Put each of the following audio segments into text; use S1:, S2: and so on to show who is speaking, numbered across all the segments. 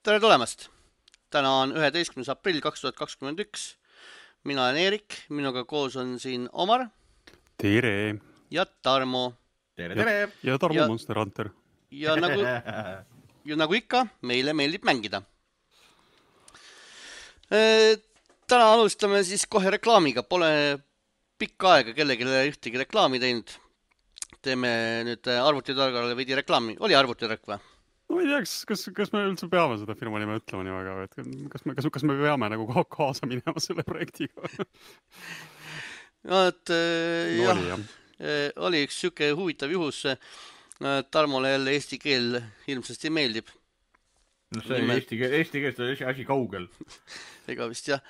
S1: Tere tulemast! Täna on 11. aprill 2021. Mina olen Eerik, minuga koos on siin Omar
S2: Tere!
S1: ja Tarmo.
S3: Tere, tere!
S2: Ja Tarmo Monster Hunter.
S1: Ja nagu ikka, meile meeldib mängida. Täna alustame siis kohe reklaamiga. Pole pikka aega kellelegi ühtegi reklaami teinud. Teeme nüüd arvutitargale veidi reklaami. Oli arvutitark või?
S2: No ei teaks, kas me üldse peame seda firma nime ütlema nii väga, et kas me peame nagu kaasa minema selle projektiga?
S1: No, oli üks siuke huvitav juhus. Tarmole jälle eesti keel hirmsasti meeldib.
S3: No see eesti keelest on asi kaugel.
S1: Ega vist jah.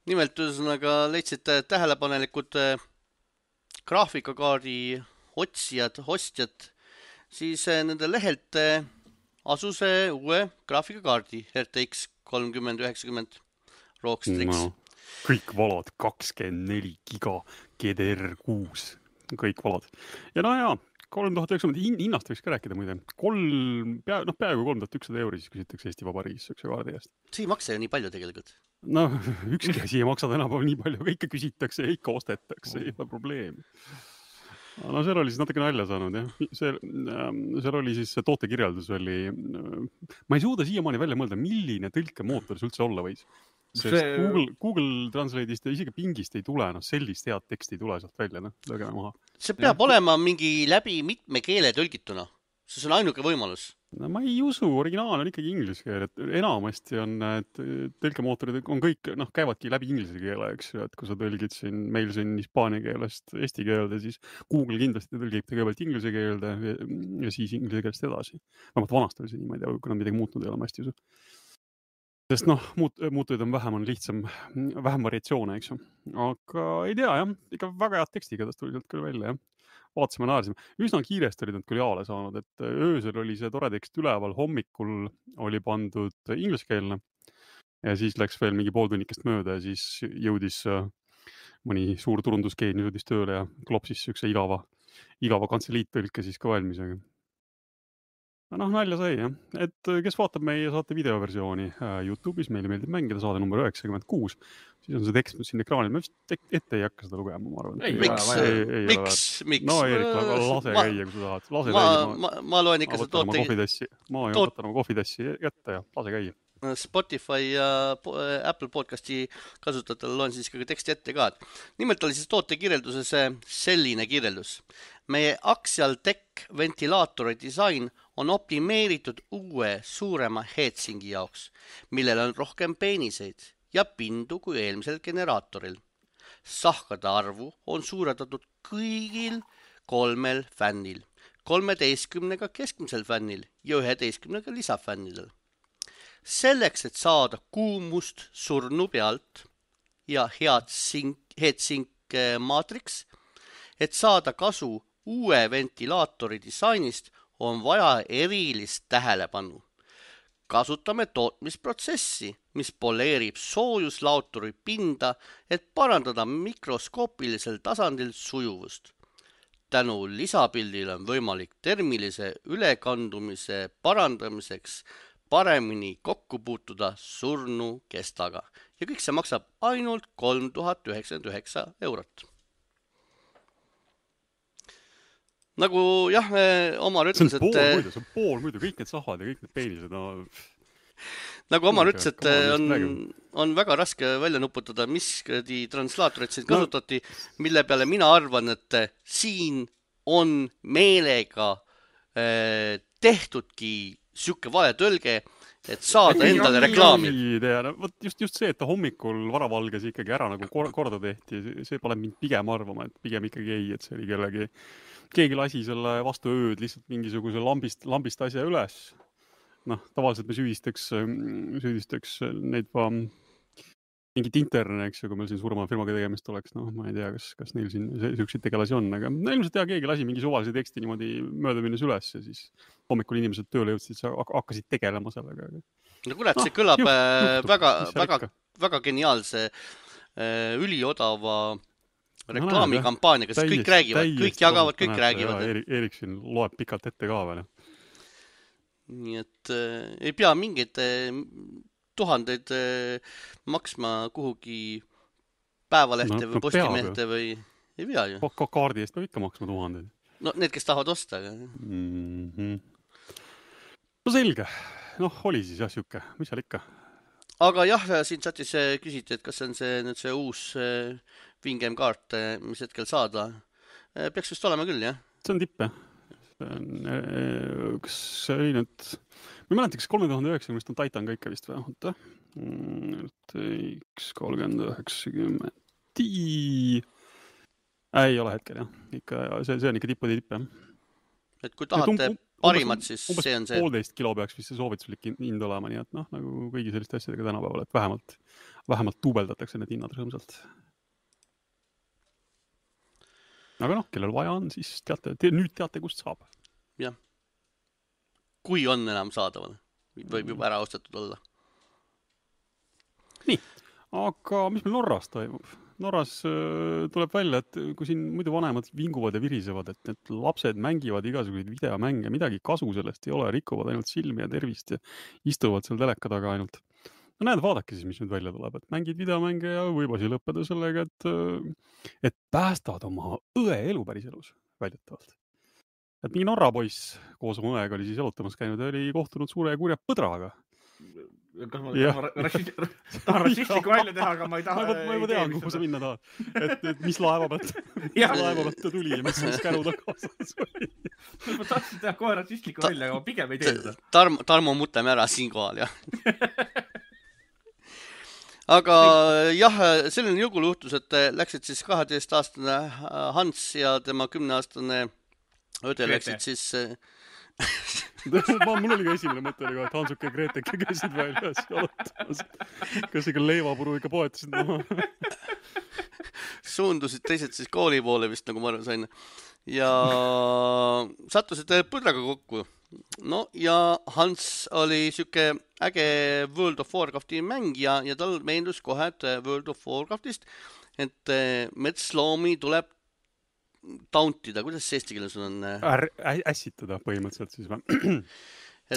S1: Nimelt ühesõnaga leidsid tähelepanelikud graafikakaardi ostjad, siis nende lehelt asus uue graafikakaardi RTX 3090 Rockstrix.
S2: No, kõik valad 24 giga GDR6. Kõik valad. Ja no jaa, 3900 hinnast võiks ka rääkida muide. Peaaegu 3100 € siis küsitakse Eesti Vabariigis sükse kaardi eest.
S1: See ei maksa ju nii palju tegelikult.
S2: No, ükski asi ei maksa tänapäeval nii palju, aga ikka küsitakse ja ikka ostetakse, ei ole probleemi. No seal oli siis natuke nalja saanud, jah. Seal oli siis tootekirjeldus oli... Ma ei suuda siiamaani välja mõelda, milline tõlkemootor see üldse olla võis. Sest Google Translate'ist ja isegi Bingist ei tule, sellist head teksti ei tule sealt välja, lõgeme maha.
S1: See peab olema mingi läbi mitme keele tõlgituna. See on ainuke võimalus.
S2: No ma ei usu, originaal on ikkagi inglise keel, et enamasti on tõlkemootorid on kõik, käivadki läbi inglise keele, eks ju, et kui sa tõlgid meil siin hispaania keelest eesti keelde, siis Google kindlasti tõlgib kõigepealt inglise keelde ja siis inglise keelest edasi. Vähemalt vanast oli see nii, ma ei tea, kui nad midagi muutnud ei ole, ma hästi usu. Sest muutujaid on vähem, on lihtsam, vähem variatsioone, eks ju. Aga ei tea, jah, ikka väga head tekstiga tast tuli sealt küll välja, jah. Vaatasime naersime. Üsna kiiresti olid nad küll jaale saanud, et öösel oli see tore tekst üleval, hommikul oli pandud ingliskeelne ja siis läks veel mingi pooltunnikest mööda ja siis jõudis mõni suur turundusgeeni jõudis tööle ja klopsis sükse igava kantseliittõlke siis ka valmisega. Nalja sai, jah. Et kes vaatab meie saate videoversiooni YouTube'is, meile meeldib mängida saade number 96, siis on see tekst siin ekraanil. Ma vist ette ei hakka seda lugema, ma arvan.
S1: Miks?
S2: No Eerik, lase käia, kui sa tahad.
S1: Ma loen ikka seda
S2: Ma võtan oma kohvitassi jätta ja lase käia.
S1: Spotify ja Apple podcasti kasutajatel loen siis ka teksti ette ka. Nimelt oli siis tootekirjelduses selline kirjeldus. Meie Axial Tech ventilaatori disain on optimeeritud uue suurema heatsingi jaoks, millel on rohkem peeniseid ja pindu kui eelmisel generaatoril. Sahkade arvu on suurendatud kõigil 3 fännil, 13 keskmisel fännil ja 11 lisafännidel. Selleks, et saada kuumust surnu pealt ja heatsink maatriks, et saada kasu uue ventilaatori disainist, on vaja erilist tähelepanu. Kasutame tootmisprotsessi, mis poleerib soojuslauturi pinda, et parandada mikroskoopilisel tasandil sujuvust. Tänu lisapildil on võimalik termilise ülekandumise parandamiseks paremini kokku puutuda surnu kestaga. Ja kõik see maksab ainult 3099 €. Nagu jah, Omar ütles,
S2: et... See on pool muidu, kõik need sahvad ja kõik need peenised.
S1: Nagu Omar ütles, et on väga raske välja nuputada, mis translaatorit siin kasutati, mille peale mina arvan, et siin on meelega tehtudki siuke vale tõlge, et saada endale reklaami.
S2: Just see, et ta hommikul varavalges ikkagi ära nagu korda tehti, see pole mind pigem arvama, et pigem ikkagi ei, et see oli keegi lasi selle vastu ööd lihtsalt mingisuguse lambist asja üles. Tavaliselt me süüdistaks neid mingit interne, eks ju, kui meil siin suurema firmaga tegemist oleks. Ma ei tea, kas neil siin selliseid tegelasi on, aga ilmselt keegi lasi mingi suvalise teksti niimoodi mööda minnes üles ja siis hommikul inimesed tööle jõudsid, hakkasid tegelema sellega.
S1: No kurat, see kõlab väga geniaalse üliodava reklaamikampaaniaga, sest kõik räägivad, kõik jagavad, kõik räägivad.
S2: Eerik siin loeb pikalt ette ka veel.
S1: nii et ei pea mingeid tuhandeid maksma kuhugi päevalehte või postimehte või ei pea ju.
S2: Kaardi eest peab ikka maksma 1000.
S1: No need, kes tahavad osta. Aga...
S2: No selge. Noh, oli siis jah siuke. Mis seal ikka?
S1: Aga jah, siin chatis küsiti, et kas on nüüd see uus Wingame kaart, mis hetkel saada. Peaks vist olema küll, jah?
S2: See on tipp, jah. Kas see oli nüüd... Ma ei mäleta, kas 3090 on Titan ka ikka vist või? Oota. 3090. Ei ole hetkel, jah. See on ikka tippude tipp, jah.
S1: Et kui tahate parimat, siis see on see.
S2: 1,5 kilo peaks vist see soovituslik hind olema, nii et noh, nagu kõigi selliste asjadega tänapäeval, et vähemalt tuubeldatakse need hinnad rõõmsalt. Aga noh, kellel vaja on, siis nüüd teate, kust saab.
S1: Jah. Kui on enam saadaval, võib juba ära ostetud olla.
S2: Nii, aga mis meil Norras toimub? Norras tuleb välja, et kui siin muidu vanemad vinguvad ja virisevad, et need lapsed mängivad igasuguseid videomänge, midagi kasu sellest ei ole, rikuvad ainult silmi ja tervist ja istuvad seal teleka taga ainult. No näed, vaadake siis, mis nüüd välja tuleb, et mängid videomänge ja võib asi lõppeda sellega, et päästavad oma õe elu päris elus väidetavalt. Et mingi Norra poiss koos oma õega oli siis jalutamas käinud ja oli kohtunud suure ja kurja põdraga.
S3: Kas ma tahan rassistlikku välja teha, aga ma ei taha...
S2: Ma juba tean, kuhu sa minna tahad. Et mis laeva pealt ta tuli ja mis siis käru kaasas oli.
S3: Ma tahtsin teha kohe rassistlikku välja, aga ma pigem ei tee seda.
S1: Tarmo mutame ära siinkohal, jah. Aga jah, selline jõgul juhtus, et läksid siis 12-aastane Hans ja tema 10-aastane õde läksid siis...
S2: Mul oli ka esimene mõte, et Hansuke ja Greteke käisid väljas jalutamas. Kas ikka leivapuru ikka poetasid maha?
S1: Suundusid teised siis kooli poole vist, nagu ma aru sain. Ja sattusid põdraga kokku. No ja Hans oli siuke äge World of Warcrafti mängija ja tal meendus kohe, et World of Warcraftist, et metsloomi tuleb tauntida. Kuidas see eesti keeles on?
S2: Ässitada põhimõtteliselt siis või?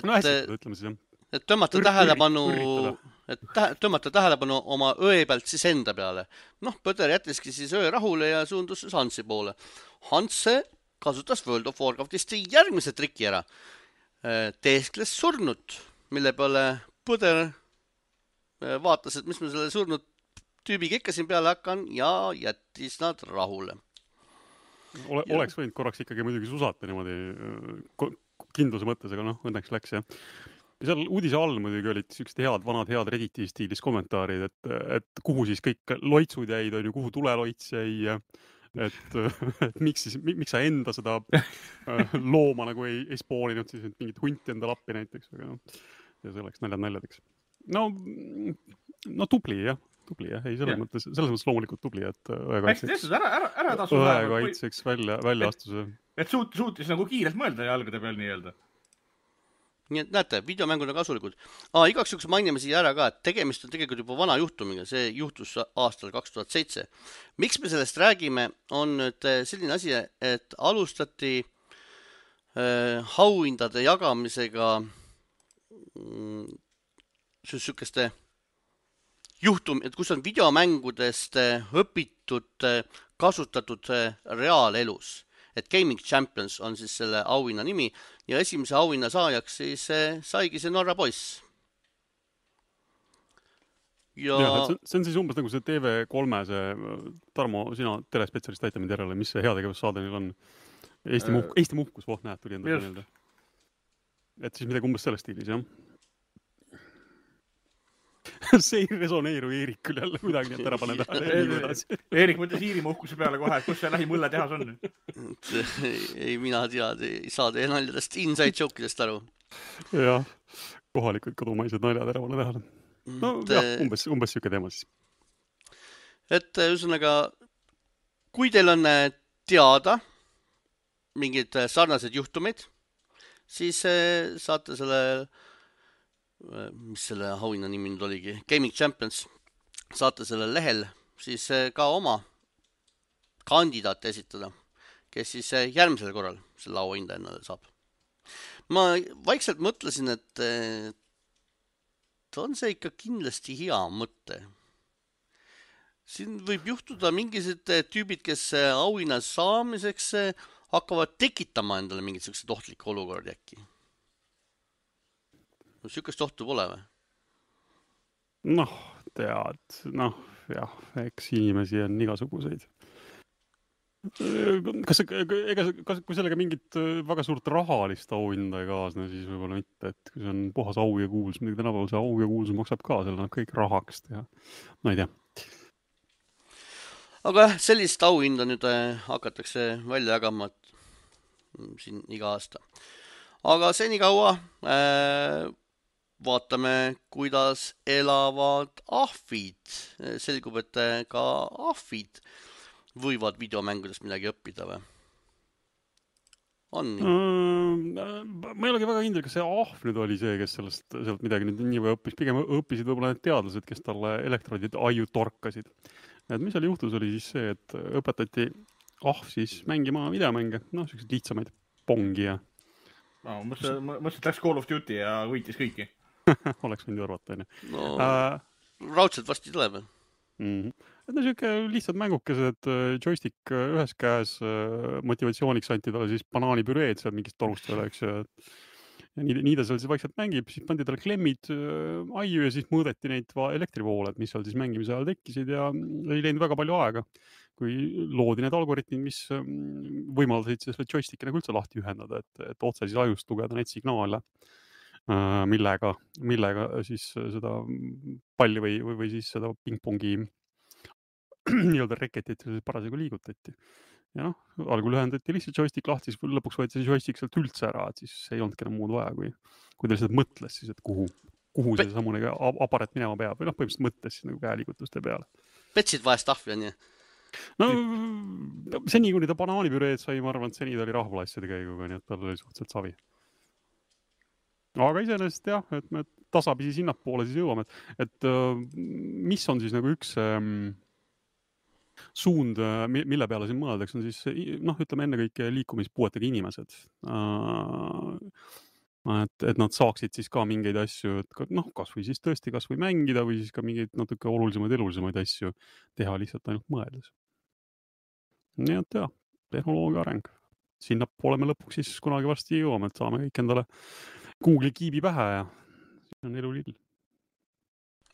S2: No ässitada, ütleme siis jah.
S1: Et tõmmata tähelepanu oma õe pealt siis enda peale. Noh, põder jättiski siis õe rahule ja suundus Hansi poole. Hans kasutas World of Warcraftist järgmise triki ära. Teeskles surnut, mille peale põder vaatas, et mis ma selle surnud tüübiga ikka siin peale hakkan ja jättis nad rahule.
S2: Oleks võinud korraks ikkagi muidugi susata niimoodi kindluse mõttes, aga noh, õnneks läks jah. Ja seal uudise all muidugi olid sellised vanad Redditi stiilis kommentaarid, et kuhu siis kõik loitsud jäid, on ju, kuhu tuleloits jäi, et miks sa enda seda looma nagu ei spooninud, siis mingit hunti enda lappi näiteks, aga noh, ja see oleks naljadeks. No tubli jah, ei selles mõttes loomulikult tubli, et õekaitseks väljaastuse.
S3: Et suutis nagu kiirelt mõelda jalgade peal nii-öelda.
S1: Nii et näete, videomängud on kasulikud. Igaks juhuks mainime siia ära ka, et tegemist on tegelikult juba vana juhtumiga, see juhtus aastal 2007. Miks me sellest räägime, on nüüd selline asi, et alustati auhindade jagamisega sükeste et kus on videomängudest õpitud, kasutatud reaalelus. Et Gaming Champions on siis selle auhinna nimi ja esimese auhinna saajaks siis saigi see Norra poiss.
S2: Ja see on siis umbes nagu see TV3 Tarmo, sina telespetsialist aita mind järele, mis see heategevussaade neil on? Eesti muhkus, näed, tuli enda meelde. Et siis midagi umbes selles stiilis, jah? See ei resoneeru Eerik küll jälle kuidagi, et ära pane tähele.
S3: Eerik mõtles Iirimaa uhkuse peale kohe, kus see lähimõlle tehas on.
S1: Ei, mina ei saa teie naljadest, inside joke'idest aru.
S2: Jah, kohalikud kodumaised naljad ära pane tähele. No jah, umbes siuke teema siis.
S1: Et ühesõnaga, kui teil on teada mingid sarnased juhtumid, siis saate selle mis selle auhinna nimi nüüd oligi, Gaming Champions, saate selle lehel siis ka oma kandidaate esitada, kes siis järgmisel korral selle auhinda ennale saab. ma vaikselt mõtlesin, et on see ikka kindlasti hea mõte. Siin võib juhtuda mingisugused tüübid, kes auhinna saamiseks hakkavad tekitama endale mingisugused ohtlikke olukordi äkki. Sükest ohtu pole või?
S2: Noh, tead, jah, eks inimesi on igasuguseid. Kui sellega mingit väga suurt rahalist auhinda ei kaasne, siis võib-olla mitte, et kui see on puhas au ja kuulsus, midagi tänapäeval see au ja kuulsus maksab ka, selle annab kõik rahaks teha. Ma ei tea.
S1: Aga jah, sellist auhinda nüüd hakatakse välja jagama siin iga aasta. Aga senikaua vaatame, kuidas elavad ahvid. Selgub, et ka ahvid võivad videomängudest midagi õppida või? On nii?
S2: Ma ei olegi väga kindel, kas see ahv nüüd oli see, kes sealt midagi nüüd nii või õppis. Pigem õppisid võib-olla need teadlased, kes talle elektrodid aiu torkasid. Et mis seal juhtus oli siis see, et õpetati ahv siis mängima videomänge, sellised lihtsamaid pongi ja...
S3: Mõtlesin, et läks Call of Duty ja võitis kõiki.
S2: Oleks võinud ju arvata, enne.
S1: Raudselt vasti tuleb.
S2: Et selline lihtsad mängukesed, joystick ühes käes, motivatsiooniks anti talle siis banaanipüreed seal mingist torust veel, eks ju. Ja nii ta seal siis vaikselt mängib, siis pandi talle klemmid aiu ja siis mõõdeti neid elektrivooled, mis seal siis mängimise ajal tekkisid ja ei läinud väga palju aega, kui loodi need algoritmid, mis võimaldasid selle joysticki nagu üldse lahti ühendada, et otse siis ajust lugeda neid signaale, millega siis seda palli või siis seda pingpongi nii-öelda reketit parasjagu liigutati. Ja algul ühendati lihtsalt joystick lahti, siis lõpuks võeti see joystick sealt üldse ära, et siis ei olnudki enam muud vaja, kui ta lihtsalt mõtles siis, et kuhu see samune aparat minema peab või põhimõtteliselt mõtles siis nagu käeliigutuste peale.
S1: Petsid vahest ahvi on ju?
S2: Seni, kuni ta banaanipüreed sai, ma arvan, et seni ta oli rahvalasside käiguga, nii et tal oli suhteliselt savi. Aga iseenesest jah, et me tasapisi sinnapoole siis jõuame, et mis on siis nagu üks suund, mille peale siin mõeldaks, on siis, ütleme ennekõike liikumispuuetega inimesed. Et nad saaksid siis ka mingeid asju, kas või siis tõesti kas või mängida või siis ka mingeid natuke elulisemaid asju teha lihtsalt ainult mõeldes. Nii et jah, tehnoloogia areng. Sinnapoole me lõpuks siis kunagi varsti jõuame, et saame kõik endale Google'i kiibi pähe ja see on elu lill.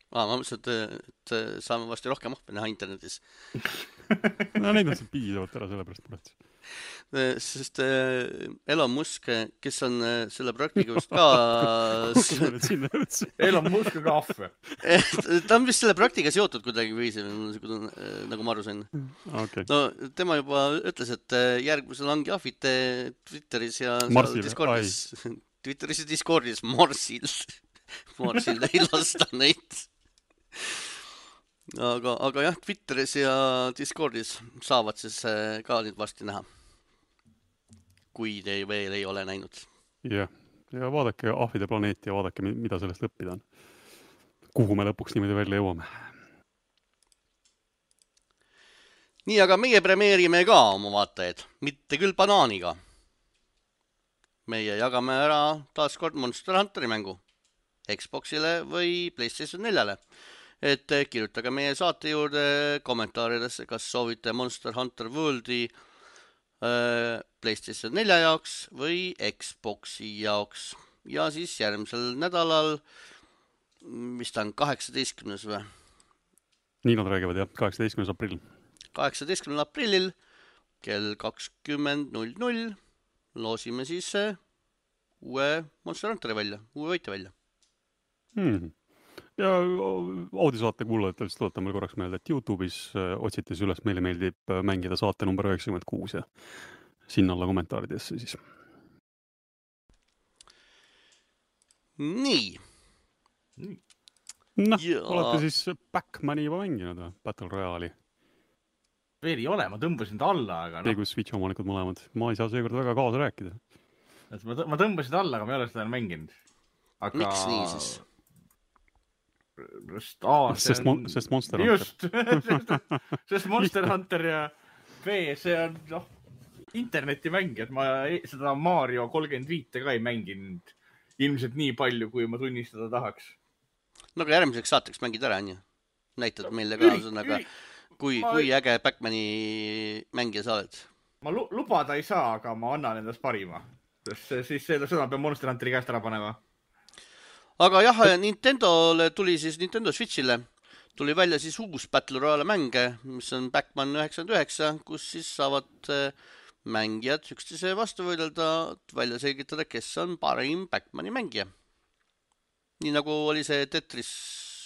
S1: Ma mõtlesin, et saame varsti rohkem ahve näha internetis.
S2: Neid on siin piisavalt ära sellepärast muretsi.
S1: Sest Elon Musk, kes on selle projektiga vist ka...
S3: Elon Musk on ka ahve.
S1: Ta on vist selle projektiga seotud kuidagi viisi, nagu ma aru sain.
S2: Okay.
S1: No tema juba ütles, et järgmisel ongi ahvid Twitteris ja Discordis. Twitteris ja Discordis Morsil ei lasta neid. Aga jah, Twitteris ja Discordis saavad siis ka nüüd varsti näha. Kui te veel ei ole näinud. Ja vaadake ahvide planeeti ja vaadake, mida sellest õppida on. Kuhu me lõpuks niimoodi välja jõuame. Nii, aga meie premeerime ka oma vaatajaid. Mitte küll banaaniga. Meie jagame ära taaskord Monster Hunteri mängu Xboxile või PlayStation 4-le. Et kirjutage meie saate juurde kommentaaridesse, kas soovite Monster Hunter Worldi PlayStation 4 jaoks või Xboxi jaoks. Ja siis järgmisel nädalal, mis ta on 18. või? Nii nad räägivad, jah, 18. aprill. 18. aprillil kell 20.00 loosime siis uue Monster Hunteri välja, uue võitja välja. Ja audisaate kuulajatele tuletan meil korraks meelde, et YouTube'is otsites üles meile meeldib mängida saate number 96 ja sinna alla kommentaaridesse siis. Nii. Olete siis Backmani juba mänginud või? Battle Royale'i?
S3: Veel ei ole, ma tõmbasin ta alla, aga
S2: Teegu Switch omanikud mõlemad. Ma ei saa seekord väga kaasa rääkida.
S3: Ma tõmbasin ta alla, aga ma ei ole seda mänginud. Aga...
S1: Miks nii siis?
S2: Sest Monster Hunter.
S3: Just, sest Monster Hunter ja B, see on, internetimängijad, ma seda Mario 35 ka ei mänginud ilmselt nii palju, kui ma tunnistada tahaks.
S1: No aga järgmiseks saateks mängid ära, on ju? Näitad meile ka, kui äge Backmani mängija sa oled.
S3: Ma lubada ei saa, aga ma annan endast parima. Siis seda pean Monster Hunteri käest ära panema.
S1: Aga jah, Nintendole tuli siis Nintendo Switchile tuli välja siis uus Battle Royale mänge, mis on Backman 99, kus siis saavad mängijad üksteise vastu võidelda, välja selgitada, kes on parim Backmani mängija. Nii nagu oli see Tetris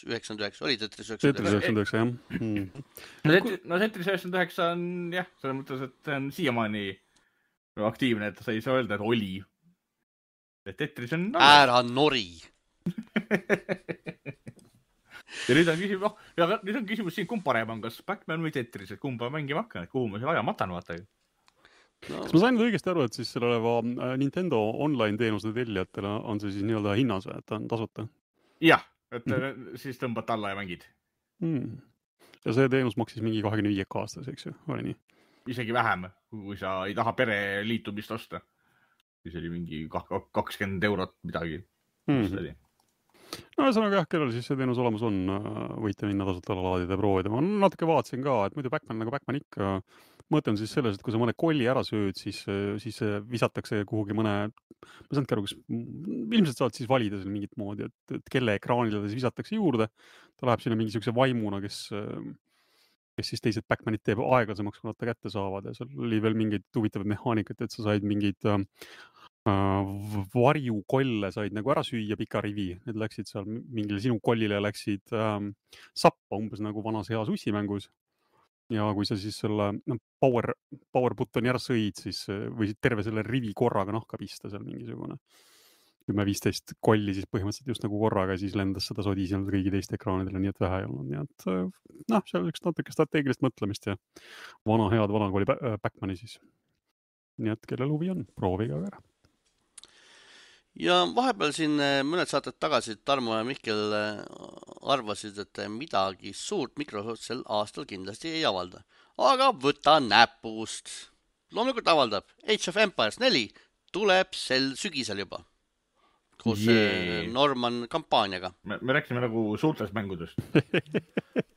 S1: 99, oli Tetris 99?
S2: Tetris 99, jah.
S3: No Tetris 99 on jah, selles mõttes, et on siiamaani aktiivne, et sa ei saa öelda, et oli. Tetris on...
S1: Ära nori!
S3: Ja nüüd on küsimus siin, kumb parem on, kas Backman või Tetris, et kumba mängima hakkan, et kuhu ma selle aja matan, vaata.
S2: Kas ma sain õigesti aru, et siis selle oleva Nintendo online teenuse tellijatele on see siis nii-öelda hinnas, et on tasuta?
S3: Jah, et siis tõmbad alla ja mängid.
S2: Ja see teenus maksis mingi 25 aastas, eks ju, oli nii?
S3: Isegi vähem, kui sa ei taha pere liitumist osta. Siis oli mingi 20 eurot midagi.
S2: No ühesõnaga jah, kellel siis see teenus olemas on, võite minna tasuta laadida ja proovida. Ma natuke vaatasin ka, et muidu Backman nagu Backman ikka, mõte on siis selles, et kui sa mõne kolli ära sööd, siis visatakse kuhugi mõne, ma saanudki aru, ilmselt saad siis valida seal mingit moodi, et kelle ekraanile ta siis visatakse juurde. Ta läheb sinna mingi sellise vaimuna, kes siis teised Backmanid teeb aeglasemaks, kui nad ta kätte saavad. Ja seal oli veel mingeid huvitavaid mehaanikat, et sa said mingid varjukolle said nagu ära süüa pika rivi. Need läksid seal mingile sinu kollile läksid sappa umbes nagu vanas heas ussimängus. Ja kui sa siis selle power buttoni ära sõid, siis võisid terve selle rivi korraga nahka pista seal mingisugune 10-15 kolli siis põhimõtteliselt just nagu korraga, siis lendas seda sodisinud kõigi teiste ekraanidele, nii et vähe ei olnud. Nii et seal üks natuke strateegilist mõtlemist ja head vanakooli Backmani siis. Nii et kellel huvi on, prooviga ära.
S1: Ja vahepeal siin mõned saated tagasi Tarmo ja Mihkel arvasid, et midagi suurt Microsoft sel aastal kindlasti ei avalda. Aga võta näpust. Loomulikult avaldab. Age of Empires 4 tuleb sel sügisel juba. Koos Norman kampaaniaga.
S3: Me rääksime nagu suurtest mängudest.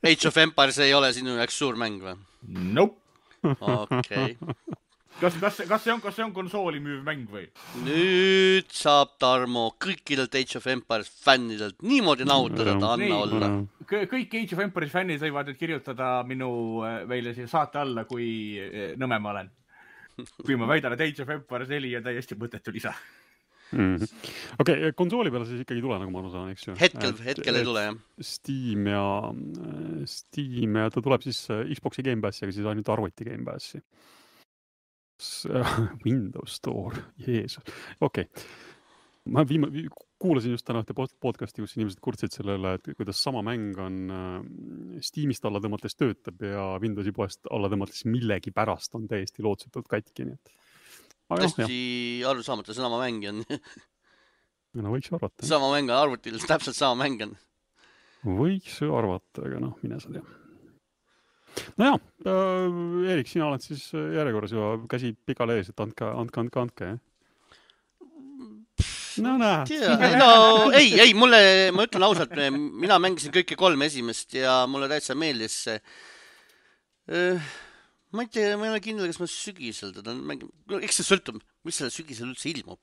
S1: Age of Empires ei ole sinu jaoks suur mäng või?
S3: Nope.
S1: Okei.
S3: Kas see on konsooli müüv mäng või?
S1: Nüüd saab Tarmo kõikidelt Age of Empires fännidelt niimoodi nautada, ta anna olla.
S3: Kõik Age of Empires fännid võivad nüüd kirjutada meile siia saate alla, kui nõme ma olen. Kui ma väidan, et Age of Empires 4 on täiesti mõttetu lisa.
S2: Okei, konsooli peale siis ikkagi ei tule, nagu ma aru saan, eks ju?
S1: Hetkel ei tule, jah.
S2: Steam ja ta tuleb siis Xboxi Game Passi, aga siis ainult arvuti Game Passi. Windows Store, Jeesus. Okei. Ma kuulasin just täna ühte podcasti, kus inimesed kurtsid sellele, et kuidas sama mäng on Steamist alla tõmmates töötab ja Windowsi poest alla tõmmates millegi pärast on täiesti lootsetult katki.
S1: Tõesti aru saamata, sama mäng on.
S2: No võiks arvata.
S1: Sama mäng on arvutil, täpselt sama mäng on.
S2: Võiks arvata, aga mine sa tea. No jah, Erik, sina oled siis järjekorras ja käsi pikale ees, et andke. No näed.
S1: Ei, ma ütlen ausalt, mina mängisin kõike 3 esimest ja mulle täitsa meeldis see. Ma ei tea, ma ei ole kindel, kas ma sügisel teda mängin. Eks see sõltub, mis selle sügisel üldse ilmub.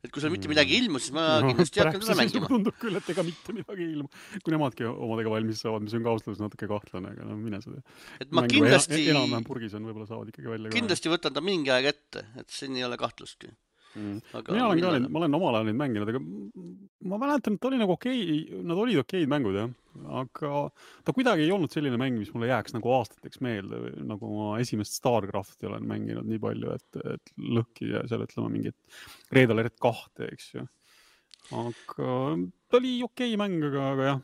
S1: Et kui seal mitte midagi ilmu, siis ma kindlasti hakkan seda mängima.
S2: Tundub küll, et ega mitte midagi ilmu. Kui nemadki omadega valmis saavad, mis on ka austlus natuke kahtlane, aga mine seda.
S1: Et ma kindlasti...
S2: Enam-vähem purgis on, võib-olla saavad ikkagi välja.
S1: Kindlasti võtan ta mingi aeg ette, et siin ei ole kahtlustki.
S2: Ma olen omal ajal neid mänginud, aga ma mäletan, et oli nagu nad olid okeid mängud, jah. Aga ta kuidagi ei olnud selline mäng, mis mulle jääks nagu aastateks meelde, nagu ma esimest StarCrafti olen mänginud nii palju, et lõhki ja seal ütlema mingit Red Alert 2, eks ju. Aga ta oli okei mäng, aga jah.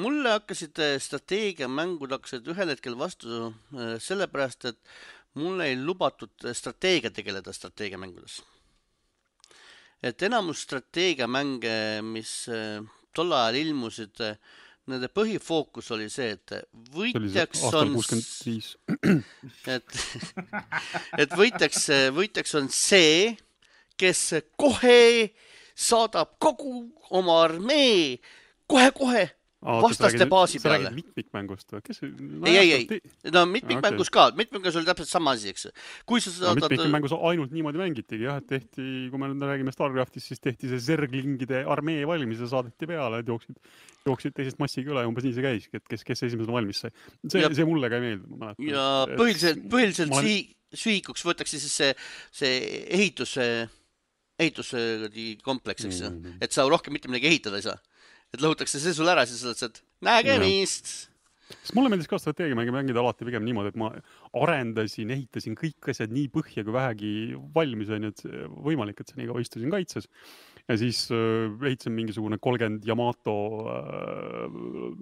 S1: Mulle hakkasid strateegiamängud ühel hetkel vastu sellepärast, et mulle ei lubatud strateegia tegeleda strateegiamängudes. Et enamus strateegiamänge, mis tol ajal ilmusid, nende põhifookus oli see, et
S2: see oli
S1: võitjaks
S2: aastal
S1: on
S2: 65.
S1: et võitjaks on see, kes kohe saadab kogu oma armee kohe vastaste baasi
S2: sa
S1: peale.
S2: räägid mitmikmängust või? Kes?
S1: Ei. No mitmikmängus ka. Mitmikmängus oli täpselt sama asi, eks. Kui sa saadad...
S2: Mitmikmängus ainult niimoodi mängitigi, jah, et tehti, kui me nüüd räägime StarCraftist, siis tehti see zerglingide armee valmis ja saadeti peale, et jooksid teisest massiga üle, umbes nii see käiski, et kes esimesena valmis sai. See mulle ka ei meeldi, ma mäletan.
S1: Ja põhiliselt sihikuks võetakse siis see ehituse kompleks, eks. Et sa rohkem mitte midagi ehitada ei saa. Et lõhutakse see sul ära, siis sa oled, nägemist.
S2: Sest mulle meeldis ka strateegiamänge mängida alati pigem niimoodi, et ma ehitasin kõik asjad nii põhja, kui vähegi valmis on, et võimalik, et see nii kaua istusin kaitses. Ja siis ehitasin mingisugune 30 Yamato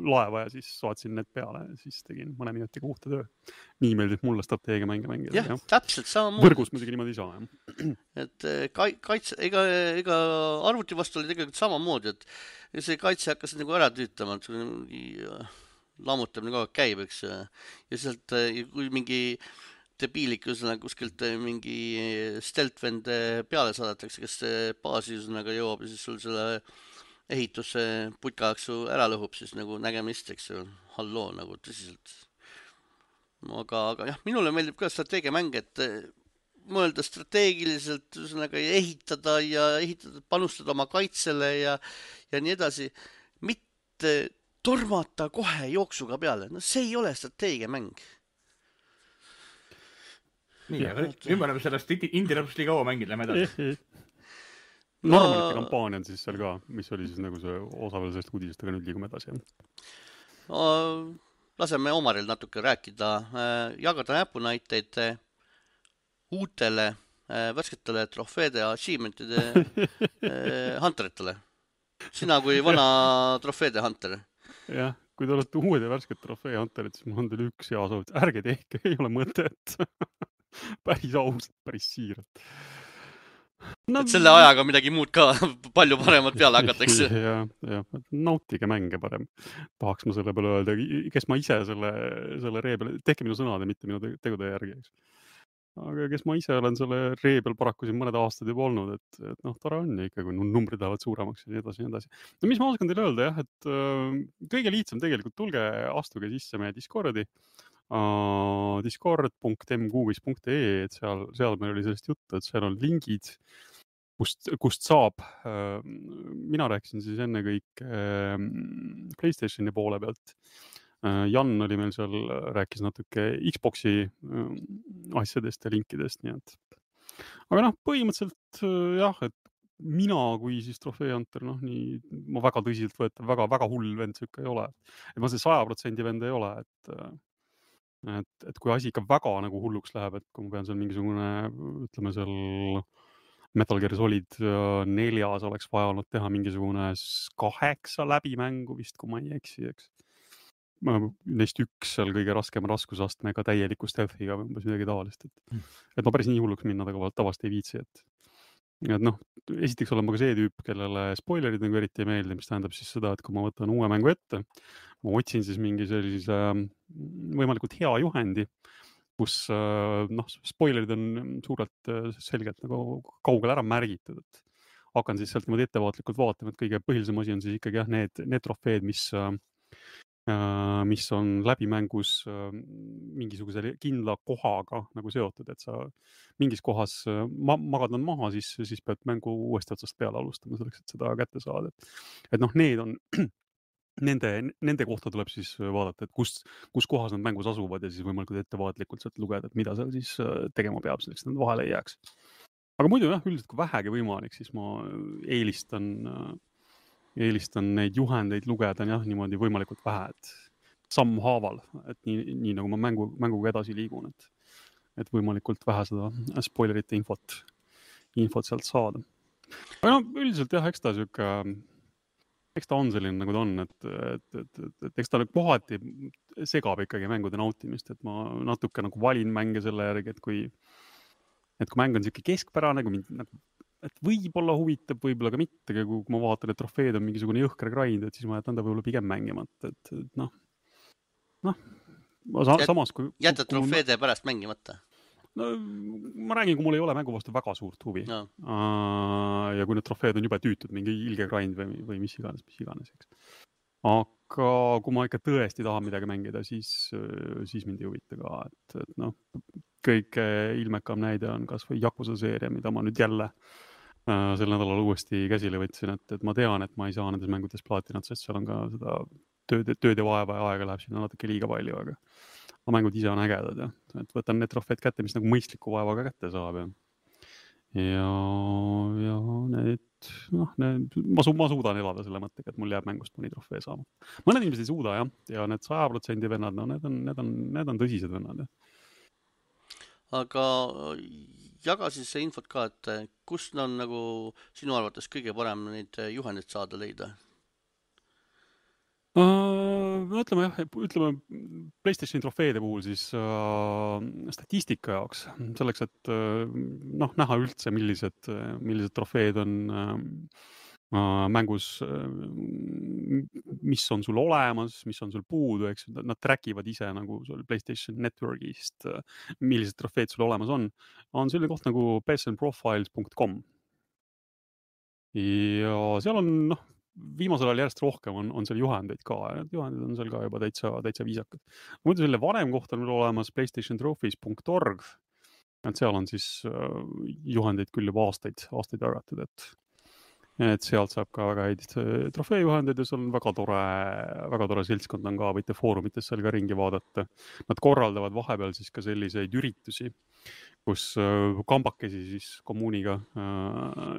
S2: laeva ja siis saatsin need peale ja siis tegin mõne minutiga uhte töö. Nii meeldib mulle strateegiamänge mängida.
S1: Jah, täpselt samamoodi.
S2: Võrgus muidugi niimoodi ei saa.
S1: Et ega arvuti vastu oli tegelikult samamoodi, et see kaitse hakkas nagu ära tüütama, et lammutamine kogu aeg käib, eks. Ja sealt, kui mingi debiilik kuskilt mingi steltvend peale saadetakse, kes baasi jõuab ja siis sul selle ehituse putkaksu ära lõhub, siis nagu nägemist, eks ju, halloo nagu tõsiselt. Aga jah, minule meeldib ka strateegiamäng, et mõelda strateegiliselt, ehitada ja panustada oma kaitsele ja nii edasi. Mitte tormata kohe jooksuga peale. No see ei ole strateegiamäng.
S3: Nii, aga nüüd me oleme sellest Indie-rapsust liiga kaua mängid, lähme edasi.
S2: Normalite kampaania on siis seal ka, mis oli siis nagu see osa veel sellest uudisest, aga nüüd liigume edasi.
S1: Laseme Omaril natuke rääkida, jagada näpunäiteid uutele värsketele trofeede ja achievementide hunteritele. Sina kui vana trofeede hunter.
S2: Jah, kui te olete uued ja värsked trofee hunterid, siis mul on teil üks hea soovit. Ärge tehke, ei ole mõtet. Päris ausalt, päris siiralt.
S1: No, et selle ajaga midagi muud ka palju paremat peale hakatakse.
S2: Ja, nautige mänge parem. Tahaks ma selle peale öelda, kes ma ise selle ree peale, tehke minu sõnade, mitte minu tegude järgi. Aga kes ma ise olen selle ree peal paraku siin mõned aastad juba olnud, et tore on ja ikka, kui numbrid lähevad suuremaks ja nii edasi. No mis ma oskan teile öelda, jah, et kõige lihtsam tegelikult tulge, astuge sisse meie Discordi. discord.mguvis.ee, et seal meil oli sellest juttu, et seal on lingid, kust saab. Mina rääkisin siis enne kõik PlayStationi poole pealt. Jan oli meil seal, rääkis natuke Xboxi asjadest ja linkidest, nii et. Aga põhimõtteliselt jah, et mina kui siis trofee hunter, ma väga tõsiselt võetan, väga hull vend sükke ei ole. Et ma see 100% vend ei ole, et kui asi ikka väga nagu hulluks läheb, et kui ma pean seal mingisugune, ütleme seal Metal Gear Solid 4 oleks vaja olnud teha mingisugune 8 läbimängu vist, kui ma ei eksi, eks. Neist üks seal kõige raskema raskusastmega täieliku stealthiga või umbes midagi tavalist, et ma päris nii hulluks minna tavast ei viitsi, et esiteks olen ma ka see tüüp, kellele spoilerid nagu eriti ei meeldi, mis tähendab siis seda, et kui ma võtan uue mängu ette, ma otsin siis mingi sellise võimalikult hea juhendi, kus spoilerid on suurelt selgelt nagu kaugel ära märgitud, et hakkan siis sealt niimoodi ettevaatlikult vaatama, et kõige põhilisem asi on siis ikkagi jah, need trofeed, mis on läbimängus mingisuguse kindla kohaga nagu seotud, et sa mingis kohas magad nad maha, siis pead mängu uuesti otsast peale alustama selleks, et seda kätte saada. Et need on, nende kohta tuleb siis vaadata, et kus kohas nad mängus asuvad ja siis võimalikult ettevaatlikult sealt lugeda, et mida seal siis tegema peab, selleks nad vahele ei jääks. Aga muidu jah, üldiselt kui vähegi võimalik, siis ma eelistan neid juhendeid lugeda jah, niimoodi võimalikult vähe, et sammhaaval, et nii nagu ma mänguga edasi liigun, et võimalikult vähe seda spoilerite infot sealt saada. Aga üldiselt jah, eks ta on selline nagu ta on, et eks ta kohati segab ikkagi mängude nautimist, et ma natuke nagu valin mänge selle järgi, et kui mäng on siuke keskpärane, kui mind et võib-olla huvitab, võib-olla ka mitte, kui ma vaatan, et trofeed on mingisugune jõhker grind, et siis ma jätan ta võib-olla pigem mängimata, et samas kui...
S1: Jätad trofeede pärast mängimata?
S2: No, ma räägin, kui mul ei ole mängu vastu väga suurt huvi.
S1: No.
S2: Ja kui need trofeed on jube tüütud, mingi ilge grind või mis iganes, eks. Aga kui ma ikka tõesti tahan midagi mängida, siis mind ei huvita ka, et noh, kõige ilmekam näide on kas või Yakuza seeria, mida ma nüüd jälle sel nädalal uuesti käsile võtsin, et ma tean, et ma ei saa nendes mängudes plaatinat, sest seal on ka seda tööd ja vaeva ja aega läheb sinna natuke liiga palju, aga mängud ise on ägedad ja et võtan need trofeed kätte, mis nagu mõistliku vaevaga kätte saab ja need, ma suudan elada selle mõttega, et mul jääb mängust mõni trofee saama. Mõned inimesed ei suuda ja need 100% vennad, no need on tõsised vennad.
S1: Aga jaga siis see infot ka, et kust on nagu sinu arvates kõige parem neid juhendeid saada leida?
S2: Ütleme PlayStationi trofeede puhul siis statistika jaoks, selleks, et näha üldse, millised trofeed on mängus, mis on sul olemas, mis on sul puudu, eks nad trackivad ise nagu sul PlayStation Networkist, millised trofeed sul olemas on selline koht nagu psnprofiles.com ja seal on viimasel ajal järjest rohkem on seal juhendeid ka, juhendid on seal ka juba täitsa viisakad. Muidu selle vanem koht on olemas playstationtrophies.org, et seal on siis juhendeid küll juba aastaid jagatud, et sealt saab ka väga häid trofeejuhendeid ja seal on väga tore seltskond on ka, võite foorumites seal ka ringi vaadata. Nad korraldavad vahepeal siis ka selliseid üritusi, kus kambakesi siis kommuuniga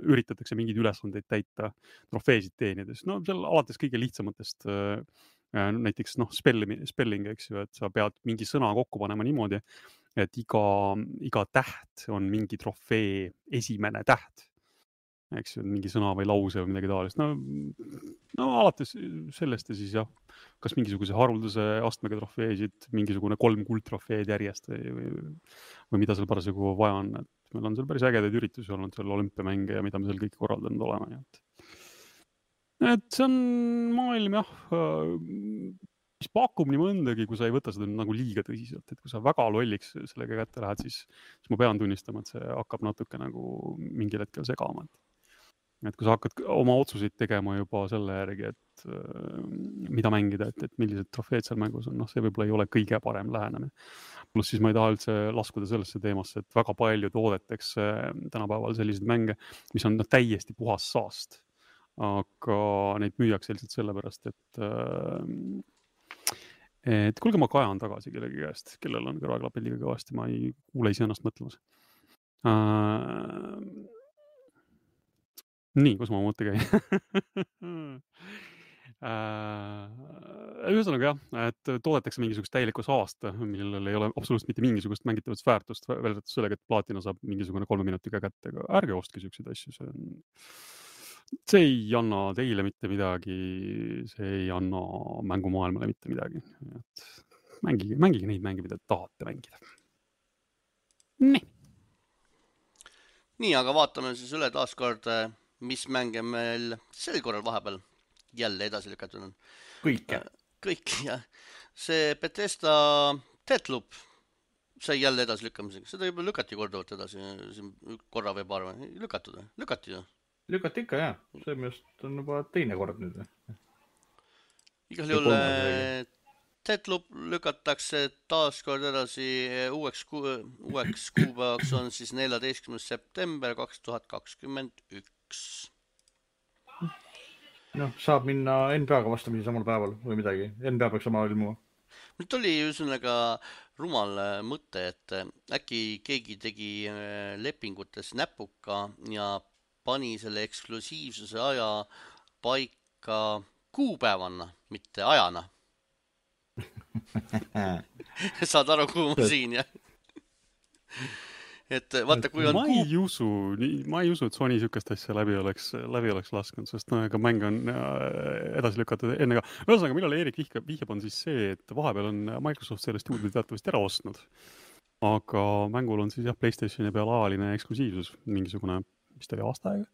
S2: üritatakse mingeid ülesandeid täita trofeesid teenides. No seal alates kõige lihtsamatest näiteks spelling, eks ju, et sa pead mingi sõna kokku panema niimoodi, et iga täht on mingi trofee esimene täht. Eks ju, mingi sõna või lause või midagi taolist. No alates sellest ja siis jah, kas mingisuguse haruldase astmega trofeesid, mingisugune 3 kuldtrofeed järjest või mida seal parasjagu vaja on. Et meil on seal päris ägedaid üritusi olnud, seal olümpiamänge ja mida me seal kõik korraldanud olema. Et see on maailm jah, mis pakub nii mõndagi, kui sa ei võta seda nagu liiga tõsiselt, et kui sa väga lolliks sellega kätte lähed, siis ma pean tunnistama, et see hakkab natuke nagu mingil hetkel segama. Et kui sa hakkad oma otsuseid tegema juba selle järgi, et mida mängida, et millised trofeed seal mängus on, see võib-olla ei ole kõige parem lähenemine. Plus siis ma ei taha üldse laskuda sellesse teemasse, et väga palju toodetakse tänapäeval selliseid mänge, mis on täiesti puhas saast. Aga neid müüakse lihtsalt sellepärast, et kuulge, ma kajan tagasi kellegi käest, kellel on kõrvaklapid liiga kõvasti, ma ei kuule ise ennast mõtlemas. Nii, kus ma mõtte käin? Ühesõnaga jah, et toodetakse mingisugust täielikku saasta, millel ei ole absoluutselt mitte mingisugust mängitavast väärtust, väärtust sellega, et plaatina saab mingisugune 3 minutiga kätte, aga ärge ostke selliseid asju, see ei anna teile mitte midagi, see ei anna mängumaailmale mitte midagi. Et mängige neid mänge, mida tahate mängida.
S1: Nii, aga vaatame siis üle taaskord, mis mänge meil sel korral vahepeal jälle edasi lükatud on. Kõik, jah. See Bethesda Deathloop sai jälle edasi lükkamisega. Seda juba lükati korduvalt edasi, korra või paar või lükati ju.
S3: Lükati ikka, jah. See mest on juba teine kord nüüd.
S1: Igal juhul Deathloop lükatakse taaskord edasi uueks kuupäevaks on siis 14. september 2021.
S3: Saab minna NBA-ga vastamisi samal päeval või midagi. NBA peaks sama ilmuma.
S1: Nüüd oli ühesõnaga rumal mõte, et äkki keegi tegi lepingutes näpuka ja pani selle eksklusiivsuse aja paika kuupäevana, mitte ajana. Saad aru, kuhu ma siin, jah? Et vaata, kui on...
S2: Ma ei usu, et Sony sükest asja läbi oleks lasknud, sest ega mäng on edasi lükatud enne ka. Ühesõnaga, millal Erik vihjab on siis see, et vahepeal on Microsoft selle stuudio teatavasti ära ostnud. Aga mängul on siis jah PlayStationi peal ajaline eksklusiivsus, mingisugune mis ta oli aasta aega.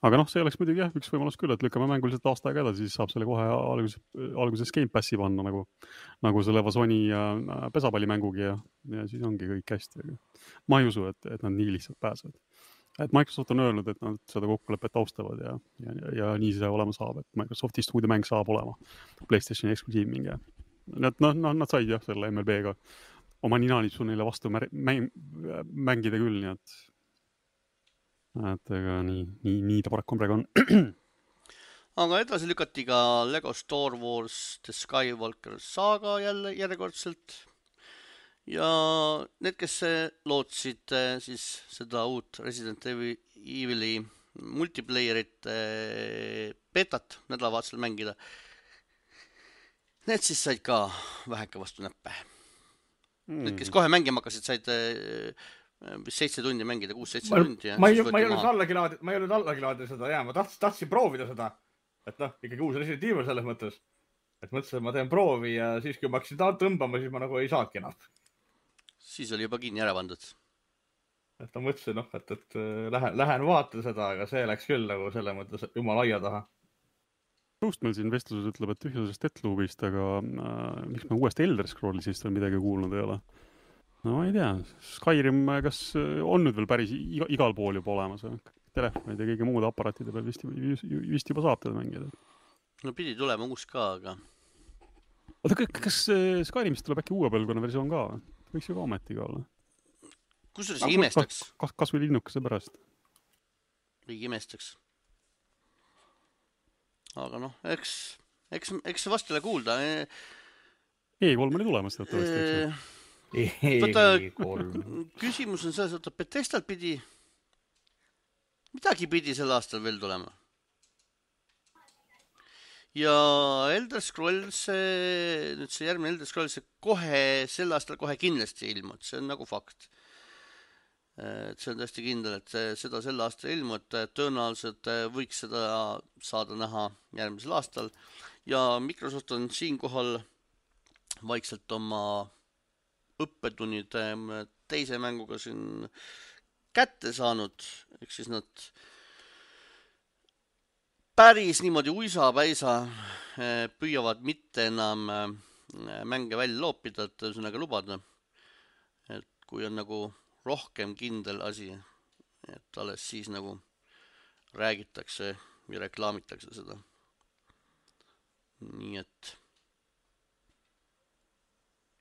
S2: Aga noh, see oleks muidugi jah, üks võimalus küll, et lükkame mänguliselt aasta aega edasi, siis saab selle kohe alguses Game Passi panna nagu selle Vasoni pesapallimängugi ja siis ongi kõik hästi. Ma ei usu, et nad nii lihtsalt pääsevad. Et Microsoft on öelnud, et nad seda kokkulepet austavad ja nii see olema saab, et Microsofti stuudiomäng saab olema PlayStationi eksklusiiv mingi. Nad said jah selle MLB-ga oma ninanipsu neile vastu mängida küll, nii et ega nii ta paraku praegu on.
S1: Aga edasi lükati ka Lego Star Wars The Skywalker Saga järjekordselt. Ja need, kes lootsid siis seda uut Resident Evil'i multiplayerit betat nädalavahetusel mängida, need siis said ka väheke vastu näppe. Need, kes kohe mängima hakkasid, said 7 tundi mängida, 6-7 tundi.
S3: Ma ei olnud allagi laadida seda, ma tahtsin proovida seda. Et ikkagi uus Resident Evil selles mõttes. Et mõtlesin, et ma teen proovi ja siis, kui ma hakkasin tõmbama, siis ma nagu ei saadki enam.
S1: Siis oli juba kinni ära pandud.
S3: Et ma mõtlesin, et lähen vaatan seda, aga see läks küll nagu selle mõttes jumala aia taha.
S2: Just meil siin vestluses ütleb, et tühjusest Deathloopist, aga miks me uuest Elder Scrollsist veel midagi kuulnud ei ole? No ma ei tea, Skyrim, kas on nüüd veel päris igal pool juba olemas? Telefonid ja kõige muud aparaatide peal vist juba saab teda mängida.
S1: No pidi tulema uus ka, aga...
S2: Oota, kas Skyrimist tuleb äkki uue põlvkonna versioon ka? Võiks ju ka ometiga olla.
S1: Kusjuures imestaks?
S2: Kas või linnukese pärast?
S1: Või imestaks. Aga noh, eks vast jälle kuulda.
S2: E3 oli tulemas tõesti.
S1: Küsimus on selles, et Bethesdal midagi pidi sel aastal veel tulema. Ja Elder Scrolls, nüüd see järgmine Elder Scrolls sel aastal kohe kindlasti ilmud, see on nagu fakt. See on tõesti kindel, et seda sel aastal ilmud, tõenäoliselt võiks seda saada näha järgmisel aastal. Ja Microsoft on siinkohal vaikselt oma õppetunnid teise mänguga siin kätte saanud, eks siis nad päris niimoodi uisa-päisa püüavad mitte enam mänge välja loopida, et ühesõnaga lubada, et kui on nagu rohkem kindel asi, et alles siis nagu räägitakse ja reklaamitakse seda. Nii et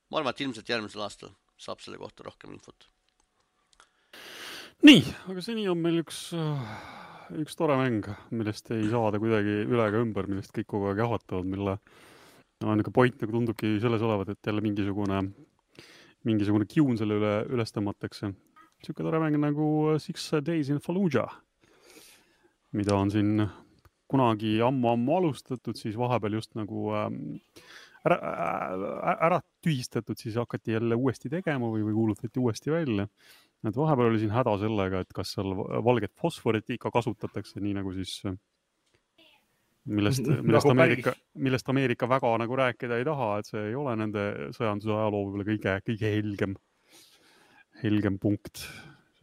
S1: ma arvan, et ilmselt järgmisel aastal saab selle kohta rohkem infot.
S2: Nii, aga seni on meil üks tore mäng, millest ei saada kuidagi üle ega ümber, millest kõik kogu aeg jahvatavad, mille point nagu tundubki selles olevat, et jälle mingisugune kiun selle üles tõmmatakse. Siuke tore mäng nagu 6 Days in Fallujah, mida on siin kunagi ammu alustatud, siis vahepeal just nagu ära tühistatud, siis hakati jälle uuesti tegema või kuulutati uuesti välja. Et vahepeal oli siin häda sellega, et kas seal valget fosforit ikka kasutatakse, nii nagu siis millest Ameerika väga nagu rääkida ei taha, et see ei ole nende sõjanduse ajaloo võib-olla kõige helgem punkt.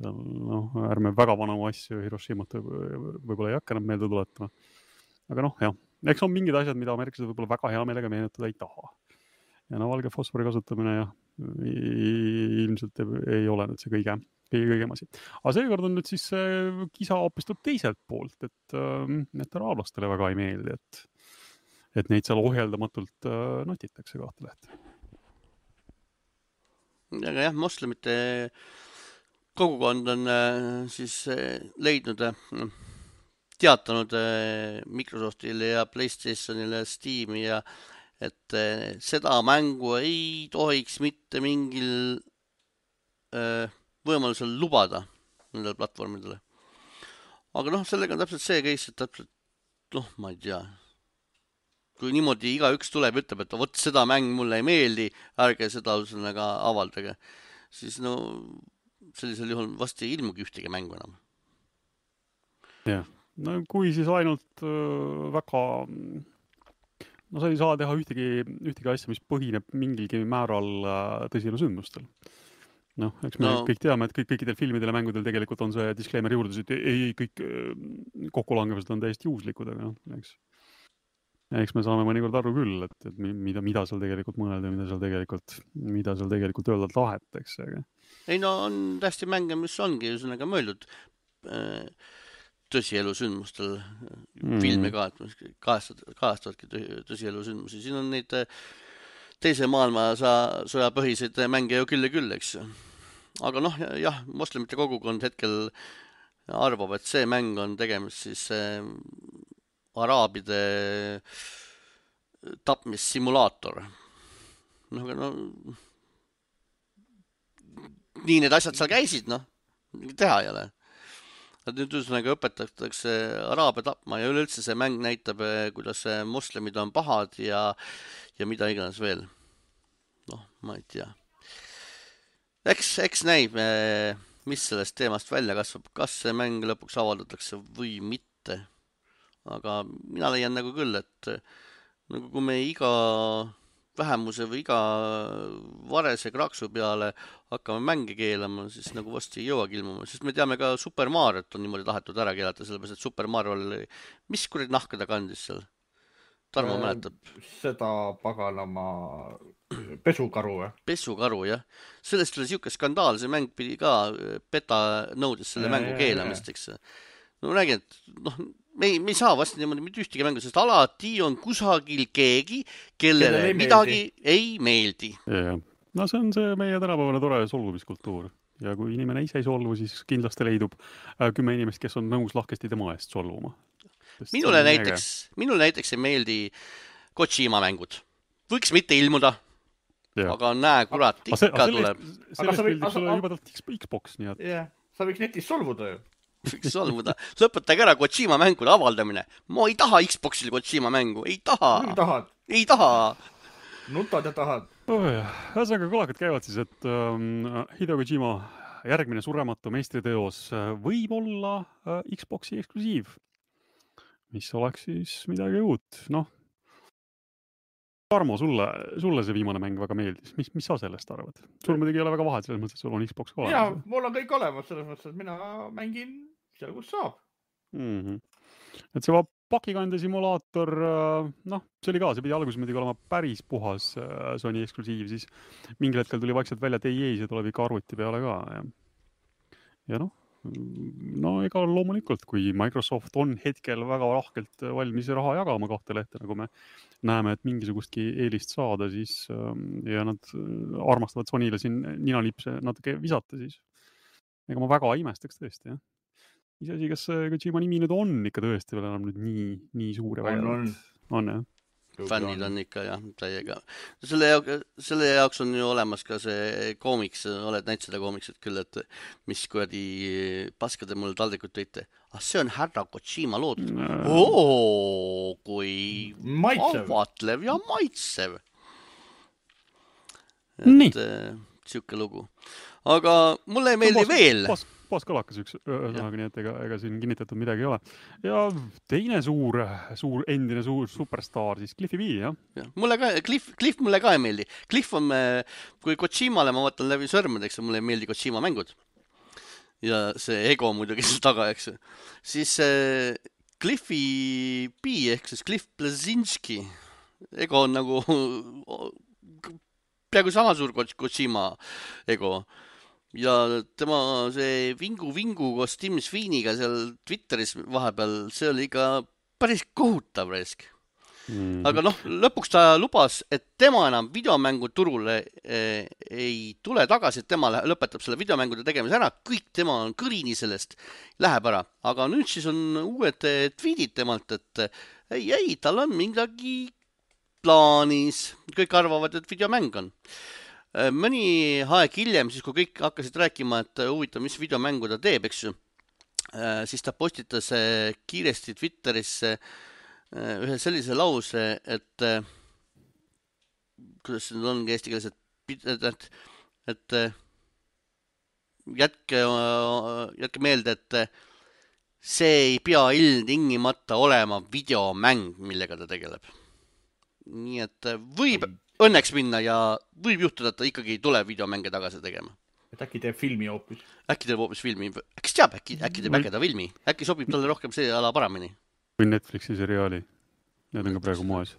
S2: Ärme väga vanu asju Hiroshimat võib-olla ei hakka enam meelde tuletama. Aga jah, eks on mingid asjad, mida ameeriklased võib-olla väga hea meelega meenutada ei taha. Ja valge fosfori kasutamine ilmselt ei ole nüüd see kõige asi. Aga seekord on nüüd siis kisa hoopis tuleb teiselt poolt, et araablastele väga ei meeldi, et neid seal ohjeldamatult notitakse kahte lehte.
S1: Aga jah, moslemite kogukond on siis leidnud teatanud Microsoftile ja PlayStationile, Steam'i ja et seda mängu ei tohiks mitte mingil võimalusel lubada nendele platvormidele. Aga sellega on täpselt see case, et täpselt, ma ei tea, kui niimoodi igaüks tuleb ja ütleb, et vot seda mäng mulle ei meeldi, ärge seda avaldage, siis sellisel juhul vast ei ilmugi ühtegi mängu enam.
S2: Jah, kui siis ainult väga... sa ei saa teha ühtegi asja, mis põhineb mingilgi määral tõsile sündmustel. noh, eks me kõik teame, et kõikidel filmidel ja mängudel tegelikult on see disclaimer juurdus, et ei kõik kokkulangevused on täiesti juhuslikud, aga noh, eks me saame mõnikord aru küll, et mida seal tegelikult mõelda, mida seal tegelikult öelda tahetakse, aga
S1: ei no on täiesti mänge, mis ongi ühesõnaga mõeldud tõsielu sündmustel filme kajastavadki tõsielu sündmusi. Siin on neid teise maailmasõja põhiseid mänge ju küll ja küll, eks. Aga noh, jah, moslemite kogukond hetkel arvab, et see mäng on tegemist siis araabide tapmissimulaator. Noh, aga no nii need asjad seal käisid, noh, teha ei ole. Nüüd ühesõnaga õpetatakse araabe tapma ja üleüldse see mäng näitab, kuidas moslemid on pahad ja mida iganes veel. Noh, ma ei tea. Eks näib, mis sellest teemast välja kasvab, kas see mäng lõpuks avaldatakse või mitte. Aga mina leian nagu küll, et nagu kui me iga vähemuse või iga varese kraksu peale hakkame mänge keelama, siis nagu vast ei jõuagi ilmuma, sest me teame ka Super Mariot on niimoodi tahetud ära keelata, sellepärast et Super Mario oli, mis kurid nahka ta kandis seal? Tarmo mäletab.
S3: Seda paganama pesukaru või?
S1: Pesukaru, jah. Sellest oli siuke skandaal, see mäng pidi ka beta nõudes selle mängu keelamist, eks. No ma räägin, et noh, me ei saa vast niimoodi mitte ühtegi mängu, sest alati on kusagil keegi, kellele midagi ei meeldi.
S2: Ja. No see on see meie tänapäevane tore solvumiskultuur. Ja kui inimene ise ei solvu, siis kindlasti leidub 10 inimest, kes on nõus lahkesti tema eest solvuma.
S1: Minule näiteks ei meeldi Kojima mängud. Võiks mitte ilmuda, aga näe, kurat, ikka tuleb.
S2: Sellest meeldib sulle jubedalt Xbox, nii et...
S3: Yeah. Sa võiks netis solvuda ju.
S1: Võiks solvuda. Lõpetage ära Kojima mängude avaldamine. Ma ei taha Xboxil Kojima mängu. Ei taha. Ei taha.
S3: Nutad ja tahad.
S2: Ühesõnaga kõlakad käivad siis, et Hideo Kojima järgmine surematu meistriteos võib olla Xboxi eksklusiiv, mis oleks siis midagi uut. Noh, Tarmo, sulle see viimane mäng väga meeldis. Mis sa sellest arvad? Sul muidugi ei ole väga vahet selles mõttes, et sul on Xbox olemas.
S3: Jaa, mul on kõik olemas selles mõttes, et mina mängin seal, kus saab.
S2: Et see pakikande simulaator, noh, see oli ka, see pidi alguses muidugi olema päris puhas Sony eksklusiiv, siis mingil hetkel tuli vaikselt välja, et ei, see tuleb ikka arvuti peale ka. Ja noh, ega loomulikult, kui Microsoft on hetkel väga lahkelt valmis raha jagama 2 lehte, nagu me näeme, et mingisugustki eelist saada, siis ja nad armastavad Sonyle siin ninalipse natuke visata, siis ega ma väga imestaks tõesti, jah. Iseasi, kas Kojima nimi nüüd on ikka tõesti veel enam nüüd nii suur ja vägevat? On, jah.
S1: Fännid on ikka, jah, täiega. Selle jaoks on ju olemas ka see koomiks, oled näinud seda koomikset küll, et mis kuradi paskade mulle taldrikud tõite. See on härra Kojima loodud. Kui avatlev ja maitsev. Et siuke lugu. Aga mulle ei meeldi veel.
S2: Paaskalakas üks sõnaga, nii et ega siin kinnitatud midagi ei ole. Ja teine suur endine superstaar, siis Cliffi B, jah?
S1: Cliff mulle ka ei meeldi. Cliff on, kui Kojimale ma vaatan läbi sõrmedeks, mulle ei meeldi Kojima mängud. Ja see ego muidugi seal taga, eks. Siis Cliffi B, ehk siis Cliff Blazinski ego on nagu peaaegu sama suur Kojima ego. Ja tema see vingu koos Tim Sweeney'ga seal Twitteris vahepeal, see oli ikka päris kohutav resk. Aga noh, lõpuks ta lubas, et tema enam videomängu turule ei tule tagasi, et tema lõpetab selle videomängude tegemise ära, kõik tema on kõrini sellest, läheb ära. Aga nüüd siis on uued tweetid temalt, et ei, tal on midagi plaanis. Kõik arvavad, et videomäng on. Mõni aeg hiljem, siis kui kõik hakkasid rääkima, et huvitav, mis videomängu ta teeb, eks ju, siis ta postitas kiiresti Twitterisse ühe sellise lause, et kuidas see ongi eesti keeles, et jätke meelde, et see ei pea ilmtingimata olema videomäng, millega ta tegeleb. Nii et võib õnneks minna ja võib juhtuda, et ta ikkagi ei tule videomänge tagasi tegema.
S3: et äkki teeb filmi hoopis.
S1: Äkki teeb hoopis filmi. Äkki teab, äkki teeb ägeda filmi. Äkki sobib talle rohkem see ala paremini.
S2: Või Netflixi seriaali. Need on ka praegu moes.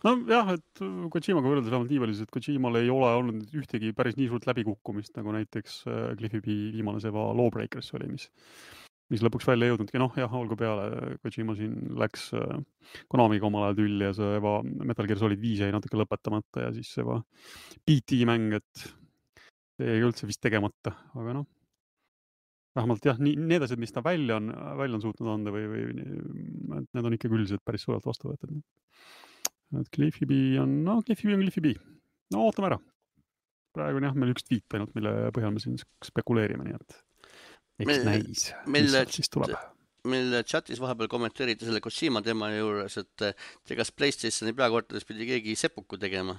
S2: No jah, et Kojimaga võrreldes vähemalt nii palju, et Kojimal ei ole olnud ühtegi päris nii suurt läbikukkumist, nagu näiteks Cliffy B viimane seva Lawbreakers oli, mis lõpuks välja jõudnudki. Noh, jah, olgu peale, Kojima siin läks Konamiga omal ajal tülli ja see Metal Gear Solid 5 jäi natuke lõpetamata ja siis see PT mäng, et see ei üldse vist tegemata, aga noh, vähemalt jah, need asjad, mis ta välja on suutnud anda või need on ikka üldiselt päris suurelt vastu võetud. Et Cliffy B on Cliffy B. No ootame ära. Praegu on jah, meil üks tweet ainult, mille põhjal me siin spekuleerime, nii et eks näis, mis siis tuleb.
S1: Meil chatis vahepeal kommenteeriti selle Kojima teema juures, et kas PlayStationi peakorteris pidi keegi sepuku tegema,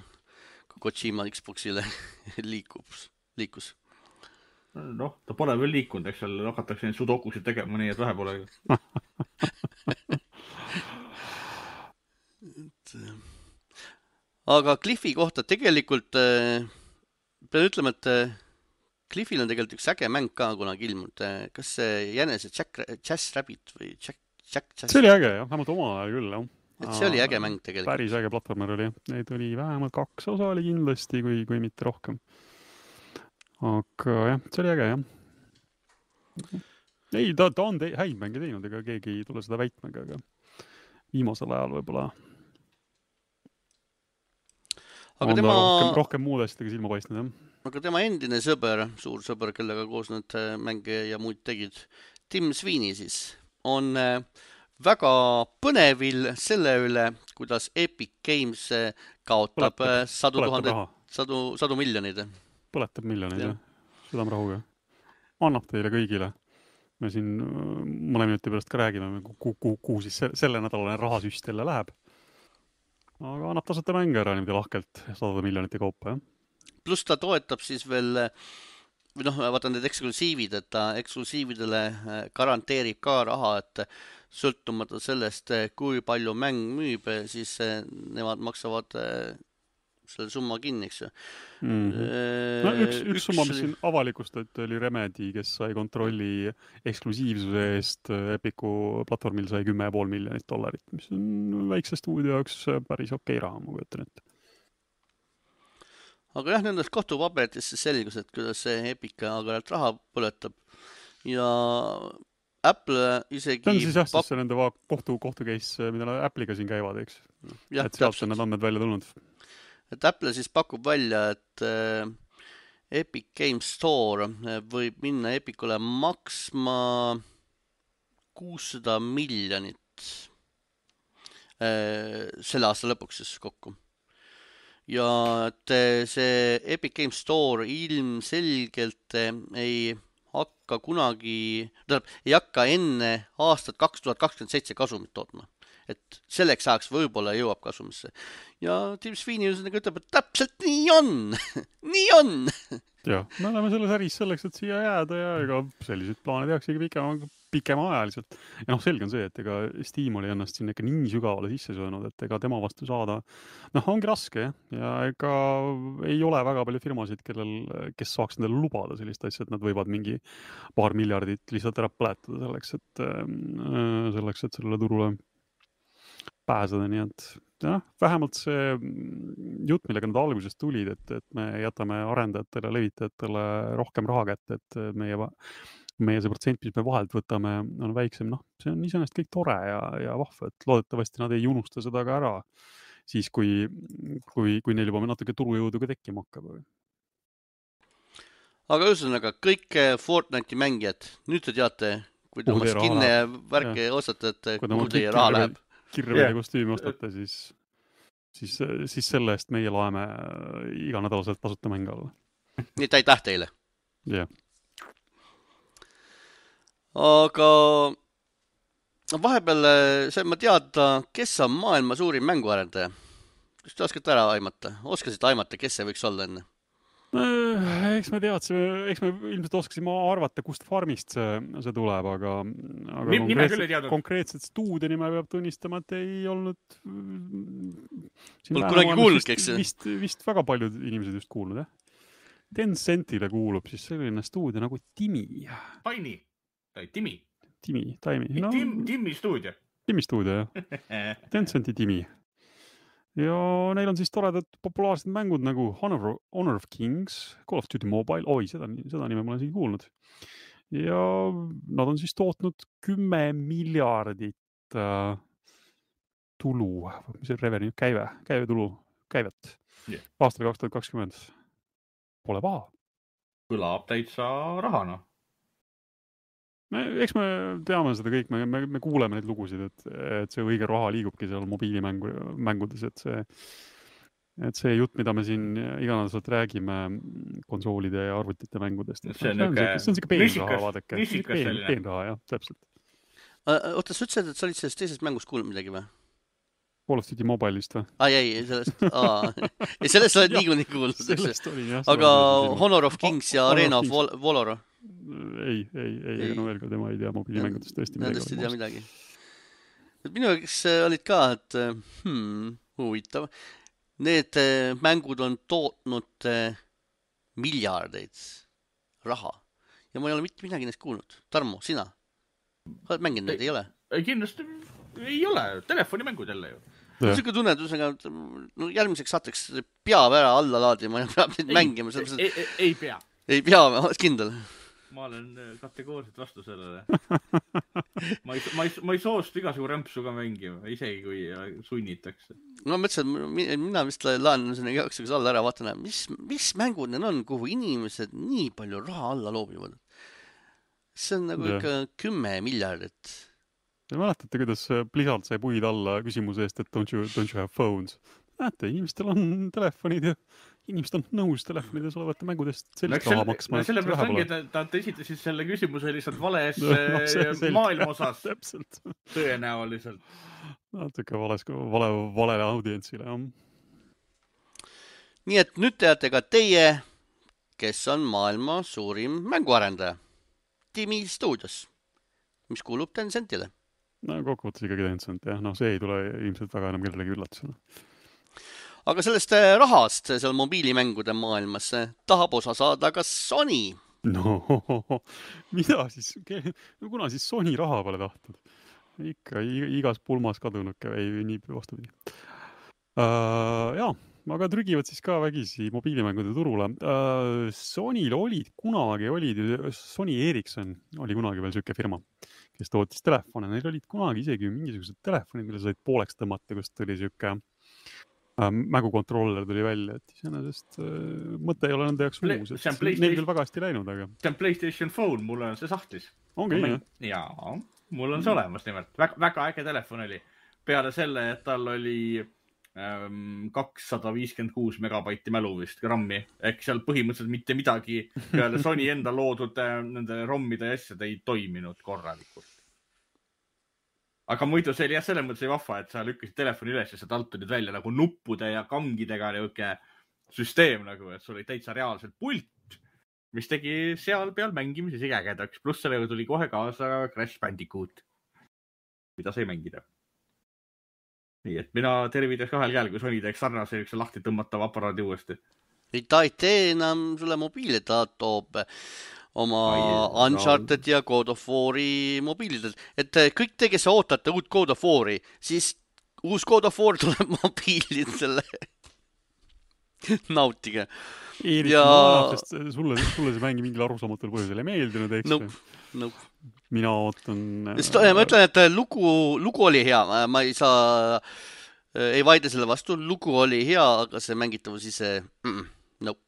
S1: kui Kojima Xboxile liikus.
S3: Noh, ta pole veel liikunud, eks seal hakatakse neid sudokusid tegema, nii et vähe pole.
S1: Aga Cliffi kohta tegelikult pean ütlema, et Cliffil on tegelikult üks äge mäng ka kunagi ilmunud. Kas see jänese Jazz Rabbit või Jack Jazz?
S2: See oli äge, jah. Vähemalt oma ajal küll, jah.
S1: Et see oli äge mäng tegelikult.
S2: Päris äge platvormer oli. Neid oli vähemalt 2 osa oli kindlasti, kui mitte rohkem. Aga jah, see oli äge, jah. Ei, ta on häid mänge teinud, ega keegi ei tule seda väitmega, aga viimasel ajal võib-olla on ta rohkem muud asjadega silma paistnud, jah.
S1: Aga tema endine sõber, suur sõber, kellega koos need mänge ja muud tegid, Tim Sweeney siis, on väga põnevil selle üle, kuidas Epic Games kaotab sadu miljonid.
S2: Põletab miljonid, jah. Südamrahuga. Annab teile kõigile. Me siin mõne minuti pärast ka räägime, kuhu siis selle nädalane rahasüst jälle läheb. Aga annab tasuta mänge ära niimoodi lahkelt 100 miljonite kaupa, jah.
S1: Plus ta toetab siis veel, või noh, vaata need eksklusiivid, et ta eksklusiividele garanteerib ka raha, et sõltumata sellest, kui palju mäng müüb, siis nemad maksavad selle summa kinni, eks ju.
S2: Üks summa, mis siin avalikustati, oli Remedy, kes sai kontrolli eksklusiivsuse eest Epiku platvormil sai $10,5 miljonit, mis on väikse stuudio jaoks päris okei raha, ma kujutan ette.
S1: Aga jah, nendest kohtupaberitesse selgus, et kuidas see Epic agaralt raha põletab ja Apple isegi...
S2: See on siis jah, siis nende kohtu case, mida Apple'iga siin käivad, eks?
S1: Ja,
S2: et sealt on need andmed välja tulnud.
S1: Et Apple siis pakub välja, et Epic Games Store võib minna Epicule maksma $600 miljonit selle aasta lõpuks siis kokku. Ja et see Epic Games Store ilmselgelt ei hakka kunagi, ei hakka enne aastat 2027 kasumit tootma. Et selleks ajaks võib-olla jõuab kasumisse. Ja Tim Sweeney ütleb, et täpselt nii on. Nii on.
S2: Jah, me oleme selles äris selleks, et siia jääda ja ega sellised plaanid jaksegi pikema ajaliselt. Ja noh, selge on see, et ega Steam oli ennast siin ikka nii sügavale sisse söönud, et ega tema vastu saada, noh, ongi raske ja ega ei ole väga palju firmasid, kes saaks nendele lubada sellist asja, et nad võivad mingi paar miljardit lihtsalt ära põletada selleks, et sellele turule pääseda, nii et jah, vähemalt see jutt, millega nad algusest tulid, et me jätame arendajatele, levitajatele rohkem raha kätte, et meie see protsent, mis me vahelt võtame, on väiksem, noh, see on iseenesest kõik tore ja vahva, et loodetavasti nad ei unusta seda ka ära siis, kui neil juba natuke turujõudu ka tekkima hakkab.
S1: Aga ühesõnaga, kõik Fortnite'i mängijad, nüüd te teate, kui te oma skinne ja värke ostate, et kuhu teie raha läheb.
S2: Kirvede kostüümi ostate, siis selle eest meie laeme iga nädalaselt tasuta mänge alla.
S1: Nii, aitäh teile.
S2: Jah.
S1: Aga vahepeal sain ma teada, kes on maailma suurim mänguarendaja. Kas te oskate ära aimata? Oskasite aimata, kes see võiks olla enne?
S2: Eks me ilmselt oskasime arvata, kust farmist see tuleb, aga konkreetset stuudio nime peab tunnistama, et ei olnud
S1: kunagi kuulnud, eks?
S2: Vist väga paljud inimesed just kuulnud, jah? Tencentile kuulub siis selline stuudio nagu Timi.
S3: Tiny. Timi.
S2: Timi. No,
S3: Timi stuudio.
S2: Timi stuudio, jah. Tencenti Timi. Ja neil on siis toredad populaarsed mängud nagu Honor of Kings, Call of Duty Mobile. Oi, seda nime ma olen siin kuulnud. Ja nad on siis tootnud 10 miljardit tulu, mis on revenue, käivet aastal 2020. Pole paha.
S3: Kõlab täitsa rahana.
S2: Eks me teame seda kõik, me kuuleme neid lugusid, et see õige raha liigubki seal mobiilimängudes, et see jutt, mida me siin iganädalaselt räägime konsoolide ja arvutite mängudest.
S3: See on
S2: siuke peenraha, vaadake. Peenraha, jah, täpselt.
S1: Oota, sa ütlesid, et sa olid sellest teisest mängust kuulnud midagi või?
S2: Call of Duty Mobile'ist või?
S1: Ei, sellest oled niikuinii kuulnud.
S2: Sellest olin, jah.
S1: Aga Honor of Kings ja Arena of Valor?
S2: Ei, no veel ka tema ei tea mobiilimängudest tõesti midagi.
S1: Nendest ei tea midagi. Minu jaoks olid ka, et huvitav. Need mängud on tootnud miljardeid raha. Ja ma ei ole mitte midagi neist kuulnud. Tarmo, sina? Oled mänginud neid, ei ole?
S3: Kindlasti ei ole. Telefonimängud jälle ju.
S1: Siuke tunnetusega, järgmiseks saateks peab ära alla laadima ja peab neid mängima.
S3: Ei pea.
S1: Ei pea, oled kindel?
S3: Ma olen kategooriliselt vastu sellele. ma ei soostu igasugu rämpsuga mängima, isegi kui sunnitakse.
S1: No mõtlesin, mina vist laen sinna jaoks alla ära vaatan, mis mängud need on, kuhu inimesed nii palju raha alla loobivad. See on nagu ikka 10 miljardit.
S2: Te mäletate, kuidas Blizzard sai puid alla küsimuse eest, et don't you have phones? Näete, inimestel on telefonid ja inimesed on nõus telefonides olevate mängudest sellist raha maksma.
S3: Sellepärast ongi, et nad esitasid selle küsimuse lihtsalt vales maailma osas.
S2: Täpselt.
S3: Tõenäoliselt.
S2: Natuke valele audientsile, jah.
S1: Nii et nüüd teate ka teie, kes on maailma suurim mänguarendaja. Timi Studios, mis kuulub Tencentile.
S2: No kokkuvõttes ikkagi Tencent, jah. No see ei tule ilmselt väga enam kellelegi üllatusena.
S1: Aga sellest rahast seal mobiilimängude maailmas tahab osa saada ka Sony.
S2: No, mida siis? Kuna siis Sony raha pole tahtnud? Ikka igas pulmas kadunuke või nii vastupidi. Jaa, aga trügivad siis ka vägisi mobiilimängude turule. Sonyl Sony Ericsson oli kunagi veel selline firma, kes tootis telefone. Neil olid kunagi isegi mingisugused telefonid, mille said pooleks tõmmata, kus tuli selline mängukontroller tuli välja, et iseenesest mõte ei ole nende jaoks uus. Neil küll väga hästi läinud, aga...
S3: See on PlayStation Phone, mul on see sahtlis.
S2: Ongi, jah?
S3: Jaa, mul on see olemas nimelt. Väga äge telefon oli. Peale selle, et tal oli 256 megabaiti mälu vist grammi. Ehk seal põhimõtteliselt mitte midagi peale Sony enda loodud nende rommide ja asjad ei toiminud korralikult. Aga muidu see oli jah selles mõttes vahva, et sa lükkasid telefoni üles ja sealt alt tulid välja nagu nuppude ja kangidega niuke süsteem nagu, et sul oli täitsa reaalselt pult, mis tegi seal peal mängimise isegi ägedaks. Pluss sellega tuli kohe kaasa Crash Bandicoot, mida sai mängida. Nii, et mina tervitaks kahel käel, kui Sony teeks sarnase üks lahti tõmmatav aparaadi uuesti.
S1: Ta ei tee enam sulle mobiili, ta toob oma Uncharted ja God of War'i mobiilidelt. Et kõik te, kes ootate uut God of War'i, siis uus God of War tuleb mobiilidele. Nautige.
S2: Eerik, sest sulle see mängi mingil arusaamatul põhjusel ei meeldinud, eks?
S1: Nope.
S2: Mina ootan...
S1: Ma ütlen, et lugu oli hea. Ma ei vaide selle vastu. Lugu oli hea, aga see mängitavus ise... Nope.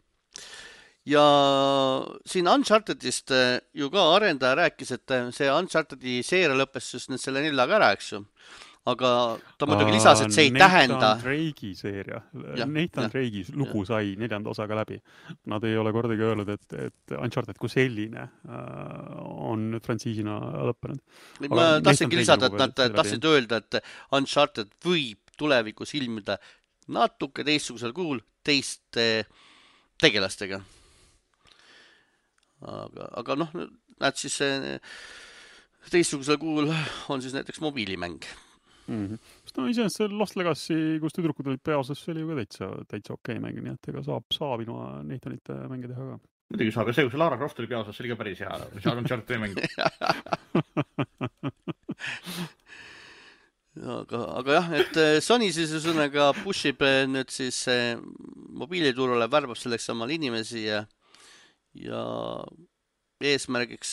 S1: Ja siin Unchartedist ju ka arendaja rääkis, et see Unchartedi seeria lõppes just selle 4-ga ära, eks ju. Aga ta muidugi lisas, et see ei tähenda...
S2: Nathan Drake'i seeria. Nathan Drake'i lugu sai 4. osaga läbi. Nad ei ole kordagi öelnud, et Uncharted kui selline on frantsiisina lõppenud.
S1: Ma tahtsingi lisada, et nad tahtsid öelda, et Uncharted võib tulevikus ilmida natuke teistsugusel kujul teiste tegelastega. Aga noh, näed siis teistsugusel kujul on siis näiteks mobiilimäng.
S2: No iseenesest see Lost Legacy, kus tüdrukud olid peaosas, see oli ju ka täitsa okei mäng, nii et ega saab ilma Nathanite mänge teha ka.
S3: Muidugi saab, ja see, kui Lara Croft oli peaosas, see oli ka päris hea. See on Uncharted mäng.
S1: aga jah, et Sony siis ühesõnaga pushib nüüd siis mobiiliturule, värbab selleks omal inimesi ja eesmärgiks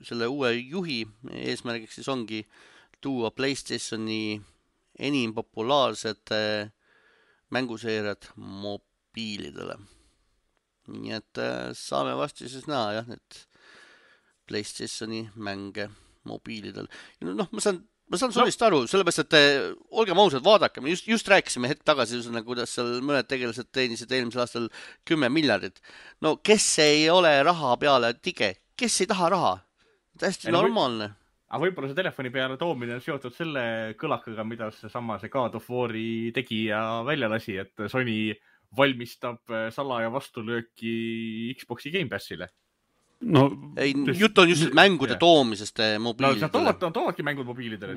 S1: selle uue juhi eesmärgiks siis ongi tuua PlayStationi enim populaarsed mänguseeriad mobiilidele. Nii et saame vasti siis näha jah, need PlayStationi mänge mobiilidel. Noh, ma saan Sonist aru, sellepärast, et olgem ausad, vaadake, me just rääkisime hetk tagasi, kuidas seal mõned tegelased teenisid eelmisel aastal 10 miljardit. No kes ei ole raha peale tige? Kes ei taha raha? Täiesti normaalne.
S3: Aga võib-olla see telefoni peale toomine on seotud selle kõlakaga, mida see God of War'i tegija välja lasi, et Sony valmistab salaja vastulööki Xbox'i Game Passile.
S2: No,
S1: ei, jutt on just mängude toomisest mobiilidele.
S3: No, toovadki mängud mobiilidele.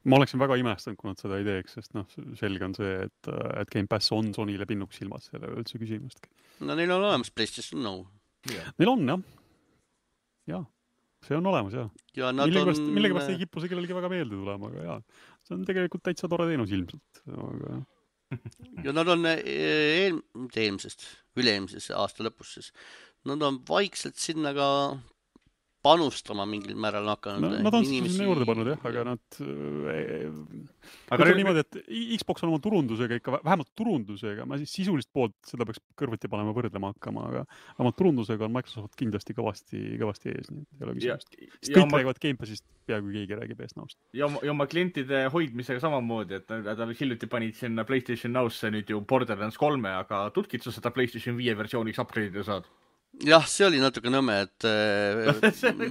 S2: Ma oleksin väga imestanud, kui nad seda ei teeks, sest selge on see, et Game Pass on Sonyle pinnuks silmas, selle üldse küsimustki.
S1: No neil on olemas PlayStation Now.
S2: Neil on, jah. Jah, see on olemas, jah.
S1: Ja
S2: millegipärast ei kipu see kellelegi väga meelde tulema, aga jah. See on tegelikult täitsa tore teenus ilmselt. Aga...
S1: ja nad on üle-eelmises aasta lõpus siis. Nad on vaikselt sinna ka panustama mingil määral hakanud.
S2: Nad on sinna juurde pannud, jah, aga nad... Aga niimoodi, et Xbox on oma turundusega ikka, vähemalt turundusega, ma siis sisulist poolt seda peaks kõrvuti panema võrdlema hakkama, aga vähemalt turundusega on Microsoft kindlasti kõvasti ees. Nii, ei ole küsimust. Kõik räägivad Game Passist, peaaegu keegi räägib eest naust.
S3: Ja oma klientide hoidmisega samamoodi, et nad hiljuti panid sinna PlayStation Now'sse nüüd ju Borderlands 3, aga tutkid sa seda PlayStation 5 versiooniks upgrade'ida saad?
S1: Jah, see oli natuke nõme, et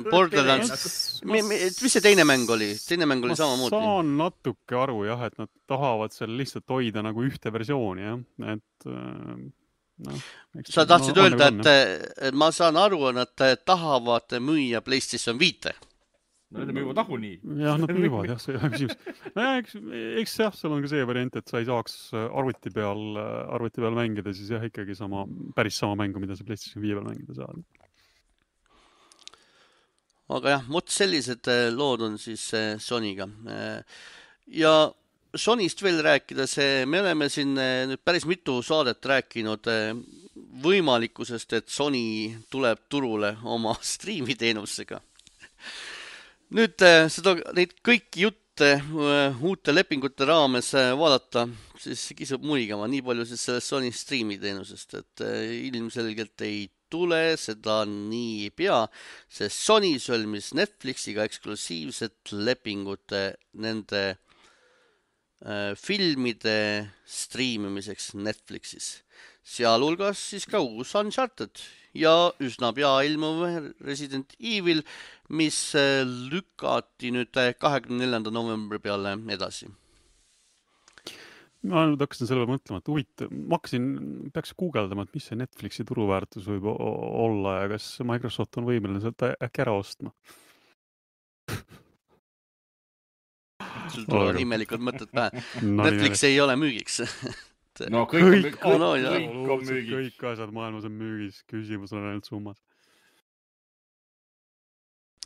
S1: Borderlands... mis see teine mäng oli? Teine mäng oli samamoodi.
S2: Ma saan natuke aru, jah, et nad tahavad seal lihtsalt hoida nagu ühte versiooni, jah. Et,
S1: sa tahtsid öelda, et ma saan aru, nad tahavad müüa PlayStation 5.
S3: No need müüvad ahuni.
S2: Jah, nad müüvad, jah, see ei ole küsimus. Eks jah, seal on ka see variant, et sa ei saaks arvuti peal mängida, siis jah, ikkagi päris sama mängu, mida sa PlayStation 5 peal mängida saad.
S1: Aga jah, sellised lood on siis Sonyga. Ja Sonyst veel rääkides, me oleme siin nüüd päris mitu saadet rääkinud võimalikkusest, et Sony tuleb turule oma striimiteenusega. Nüüd neid kõiki jutte uute lepingute raames vaadata, siis kisub muigama nii palju siis sellest Sony striimiteenusest, et ilmselgelt ei tule seda nii pea, sest Sony sõlmis Netflixiga eksklusiivset lepingut nende filmide striimimiseks Netflixis. Sealhulgas siis ka uus Uncharted ja üsna pea ilmuv Resident Evil, mis lükati nüüd 24. novembri peale edasi.
S2: Ma nüüd hakkasin selle mõtlema, et peaks guugeldama, et mis see Netflixi turuväärtus võib olla ja kas Microsoft on võimeline seda äkki ära ostma.
S1: Sul tulevad imelikult mõtted pähe. Netflix ei ole müügiks.
S3: No kõik on müügis.
S2: Kõik asjad maailmas on müügis, küsimus on ainult summas.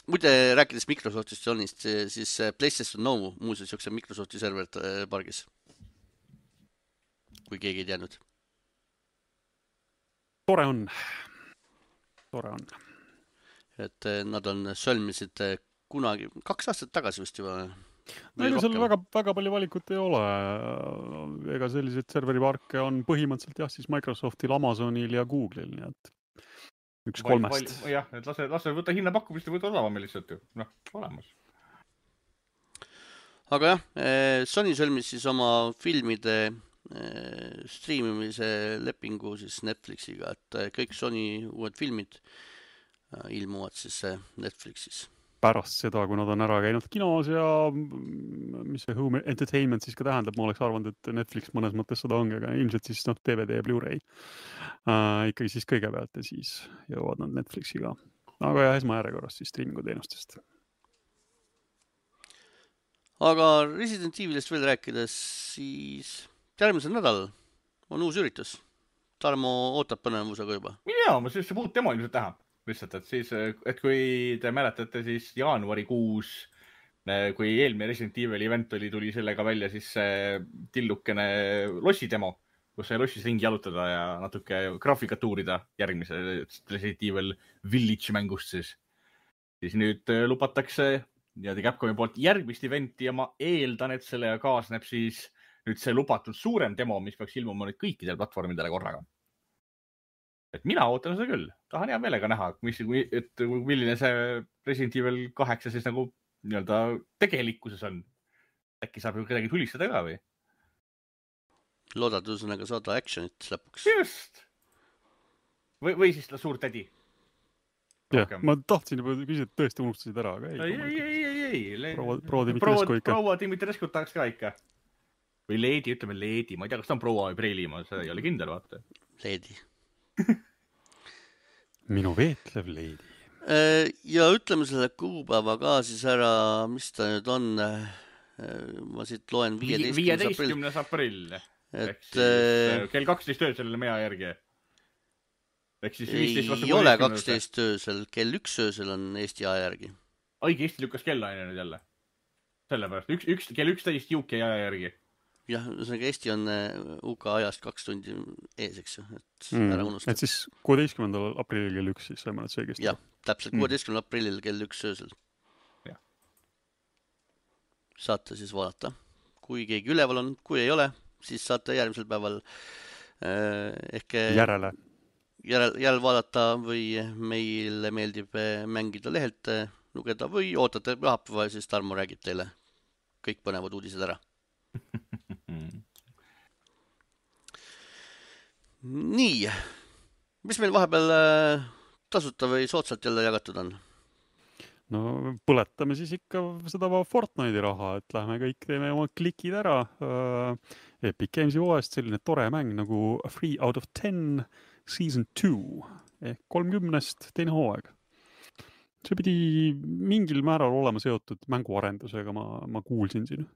S1: Muide, rääkides Microsoftist Sonist, siis PlayStation Now muuseas jookseb Microsofti serverit pargis. Kui keegi ei teadnud.
S2: Tore on.
S1: Et nad on sõlmisid kunagi, 2 aastat tagasi vist juba.
S2: Neil seal väga palju valikut ei ole. Ega sellised serveriparke on põhimõtteliselt jah, siis Microsoftil, Amazonil ja Google'il, nii et 1/3.
S3: Jah, et lase võtta hinnapakkumist ja võtta odavamil lihtsalt ju. Noh, olemas.
S1: Aga jah, Sony sõlmis siis oma filmide striimimise lepingu siis Netflixiga, et kõik Sony uued filmid ilmuvad siis Netflixis.
S2: Pärast seda, kui nad on ära käinud kinos ja mis see home entertainment siis ka tähendab, ma oleks arvanud, et Netflix mõnes mõttes seda ongi, aga ilmselt siis DVD ja Blu-ray ikkagi siis kõigepealt ja siis jõuavad nad Netflixiga. Aga jah, esmajärjekorras siis streamingu teenustest.
S1: aga Resident Evilist veel rääkides, siis järgmisel nädal on uus üritus. Tarmo ootab põnevusega juba.
S3: Jaa, ma sellesse muud demo ilmselt näha. Lihtsalt, et siis, et kui te mäletate, siis jaanuarikuus, kui eelmine Resident Evil event tuli sellega välja, siis tillukene lossi demo, kus sai lossis ringi jalutada ja natuke graafikat uurida järgmise Resident Evil Village mängust siis. Siis nüüd lubatakse Capcomi poolt järgmist eventi ja ma eeldan, et sellega kaasneb siis nüüd see lubatud suurem demo, mis peaks ilmuma nüüd kõikidel platvormidele korraga. Et mina ootan seda küll. Tahan hea meelega näha, milline see Resident Evil 8 siis nagu nii-öelda tegelikkuses on. Äkki saab ju kedagi tulistada ka või?
S1: Loodad üsõnaga saada actionit lõpuks.
S3: Just! Või siis ta suur tädi.
S2: Jah, ma tahtsin juba küsida, et tõesti unustasid ära, aga
S3: ei.
S2: Proua Dimitrescu ikka.
S3: Proua Dimitrescu tahaks ka ikka. Või Leedi, ütleme Leedi. Ma ei tea, kas ta on proua või preili, ma ei ole kindel, vaata.
S1: Leedi.
S2: Minu veetlev Leedi.
S1: Ja ütleme selle kuupäeva ka siis ära, mis ta nüüd on. Ma siit loen
S3: 15. aprill. Kell 12 öösel meie järgi.
S1: Ei ole 12 öösel, kell 1 öösel on Eesti aja järgi.
S3: Õige, Eesti lükkas kellaine nüüd jälle. Sellepärast, kell 11 UK aja järgi.
S1: Jah, ühesõnaga Eesti on UK ajast 2 tundi ees, eks ju, et ära unustada.
S2: Et siis 16. aprillil kell 1 siis saime nad seegesti.
S1: Jah, täpselt 16. aprillil kell 1 öösel.
S3: Ja.
S1: Saate siis vaadata. Kui keegi üleval on, kui ei ole, siis saate järgmisel päeval ehk järel vaadata või meile meeldib mängida lehelt, lugeda või ootate pühapäeva ja siis Tarmo räägib teile kõik põnevad uudised ära. Nii, mis meil vahepeal tasuta või soodsalt jälle jagatud on?
S2: No põletame siis ikka seda Fortnite'i raha, et lähme kõik teeme oma klikid ära. Epic Games'i uuest selline tore mäng nagu 3 out of 10 Season 2 ehk 30 teine hooaeg. See pidi mingil määral olema seotud mänguarendusega, ma kuulsin siin.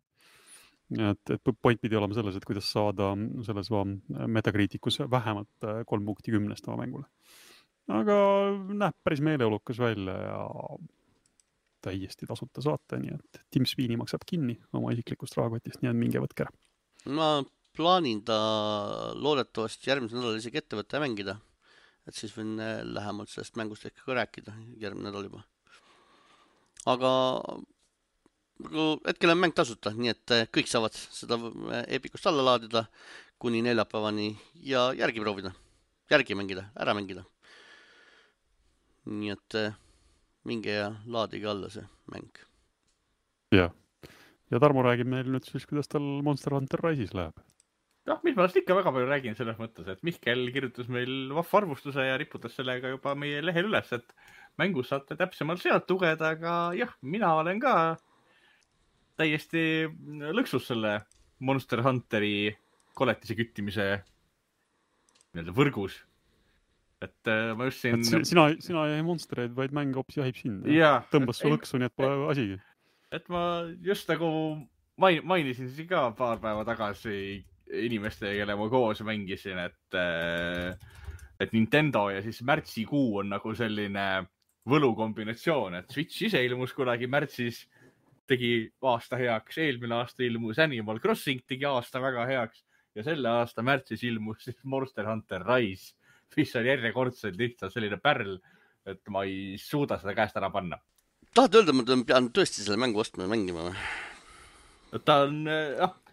S2: Et point pidi olema selles, et kuidas saada selles Metacriticus vähemalt 3 punkti 10 oma mängule. Aga näeb päris meeleolukas välja ja täiesti tasuta saate, nii et Tim Sweeney maksab kinni oma isiklikust rahakotist, nii et minge võtke ära.
S1: Ma plaanin ta loodetavasti järgmisel nädal isegi ette võtta ja mängida. Et siis võin lähemalt sellest mängust ehk ka rääkida järgmine nädal juba. Aga hetkel on mäng tasuta, nii et kõik saavad seda Epicust alla laadida kuni neljapäevani ja järgi proovida, järgi mängida, ära mängida. Nii et minge ja laadige alla see mäng.
S2: Ja Tarmo räägib meil nüüd siis, kuidas tal Monster Hunter Rise'is läheb.
S3: Mis ma ikka väga palju räägin selles mõttes, et Mihkel kirjutas meil arvustuse ja riputas sellega juba meie lehel üles, et mängus saate täpsemalt sealt lugeda, aga jah, mina olen ka täiesti lõksus selle Monster Hunteri koletise küttimise võrgus. Et ma just siin...
S2: Sina ei monstereid, vaid mäng hoopis jahib sind. Tõmbas su lõksu, nii et pole asigi.
S3: Et ma just nagu mainisin siin ka paar päeva tagasi inimeste, kelle ma koos mängisin, et Nintendo ja siis märtsikuu on nagu selline võlukombinatsioon, et Switch ise ilmus kunagi märtsis, tegi aasta heaks, eelmine aasta ilmus Animal Crossing, tegi aasta väga heaks ja selle aasta märtsis ilmus siis Monster Hunter Rise, mis on järjekordselt lihtsalt selline pärl, et ma ei suuda seda käest ära panna.
S1: Tahad öelda, ma pean tõesti selle mängu ostma ja mängima?
S3: Ta on,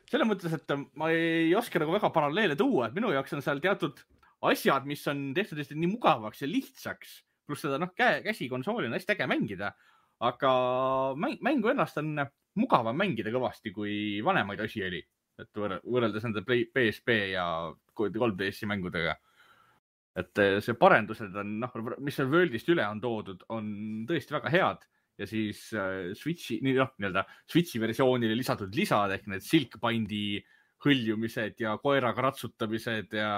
S3: selle mõttes, et ma ei oska nagu väga paralleele tuua, et minu jaoks on seal teatud asjad, mis on tehtud nii mugavaks ja lihtsaks, pluss seda käsikonsooli on hästi äge mängida, aga mängu ennast on mugavam mängida kõvasti, kui vanemaid asi oli, et võrreldes nende PSP ja 3DS-i mängudega. Et see parendused on, mis seal Worldist üle on toodud, on tõesti väga head. Ja siis Switchi versioonile lisatud lisad ehk need Silkbindi hõljumised ja koeraga ratsutamised ja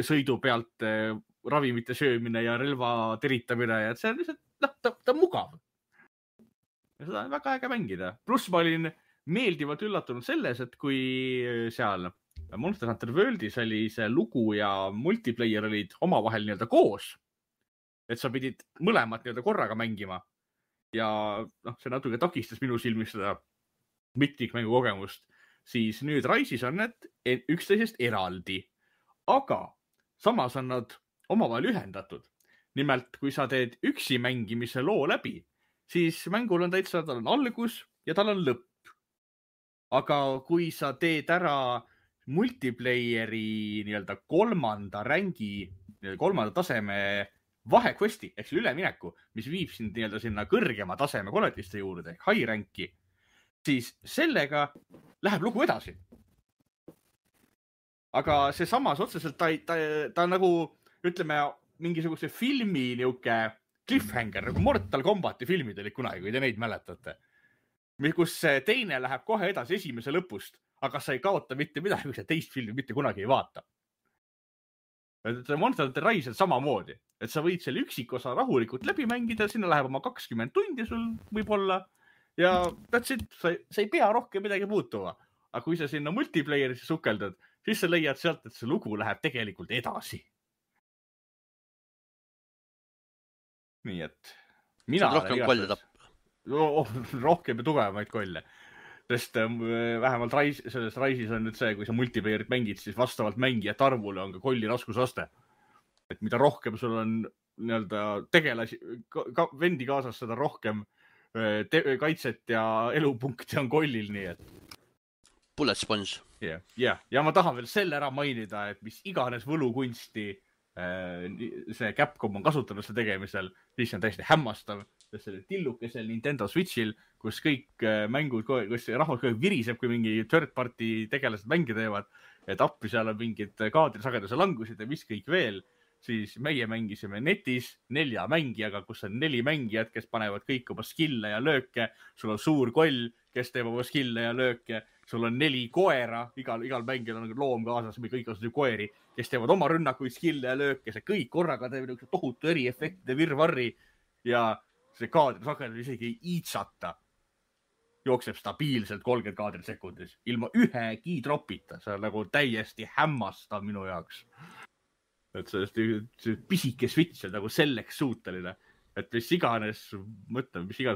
S3: sõidu pealt ravimite söömine ja relva teritamine ja see on lihtsalt, ta on mugav. Ja seda on väga äge mängida. Pluss ma olin meeldivalt üllatunud selles, et kui seal Monster Hunter Worldis oli see lugu ja multiplayer olid omavahel nii-öelda koos, et sa pidid mõlemat nii-öelda korraga mängima ja see natuke takistas minu silmis seda mitmikmängu kogemust, siis nüüd Rise'is on need üksteisest eraldi, aga samas on nad omavahel ühendatud. Nimelt, kui sa teed üksi mängimise loo läbi, siis mängul on täitsa, tal on algus ja tal on lõpp. Aga kui sa teed ära multiplayeri nii-öelda kolmanda taseme vahekvesti, ehk ülemineku, mis viib sind nii-öelda sinna kõrgema taseme koletiste juurde ehk high rank'i, siis sellega läheb lugu edasi. Aga see samas otseselt ta nagu, ütleme, mingisuguse filmi niuke cliffhanger, nagu Mortal Combati filmid olid kunagi, kui te neid mäletate. Kus teine läheb kohe edasi esimese lõpust, aga sa ei kaota mitte midagi, kui sa teist filmi mitte kunagi ei vaata. Monster Hunter Rise on samamoodi, et sa võid selle üksikosa rahulikult läbi mängida, sinna läheb oma 20 tundi sul võib-olla ja that's it, sa ei pea rohkem midagi muutuma. Aga kui sa sinna multiplayerisse sukeldad, siis sa leiad sealt, et see lugu läheb tegelikult edasi. Nii et mina
S1: rohkem kolle tapp.
S3: Rohkem ja tugevamaid kolle. Sest vähemalt selles Rise'is on nüüd see, kui sa multiplayerit mängid, siis vastavalt mängijate arvule on ka kolli raskusaste. Et mida rohkem sul on nii-öelda tegelasi, vendi kaasas, seda rohkem kaitset ja elupunkti on kollil, nii et
S1: Bullet sponge.
S3: Ja ma tahan veel selle ära mainida, et mis iganes võlukunsti see Capcom on kasutanud selle tegemisel, siis on täiesti hämmastav, sest selle tillukesel Nintendo Switchil, kus kõik mängud, kus rahvas viriseb, kui mingi third party tegelased mänge teevad, et appi seal on mingid kaadrisageduse langused ja mis kõik veel, siis meie mängisime netis 4 mängijaga, kus on 4 mängijat, kes panevad kõik oma skille ja lööke, sul on suur koll, kes teeb oma skille ja lööke, sul on 4 koera, igal mängijal on loom kaasas, või kõik on koeri, kes teevad oma rünnakuid, skille ja lööke, see kõik korraga teeb tohutu eriefektide virvarri ja see kaadrisagedus isegi ei iitsata. Jookseb stabiilselt 30 kaadrit sekundis, ilma ühegi dropita, see on nagu täiesti hämmastav minu jaoks. Et see pisike Switch on nagu selleks suuteline, et mis iganes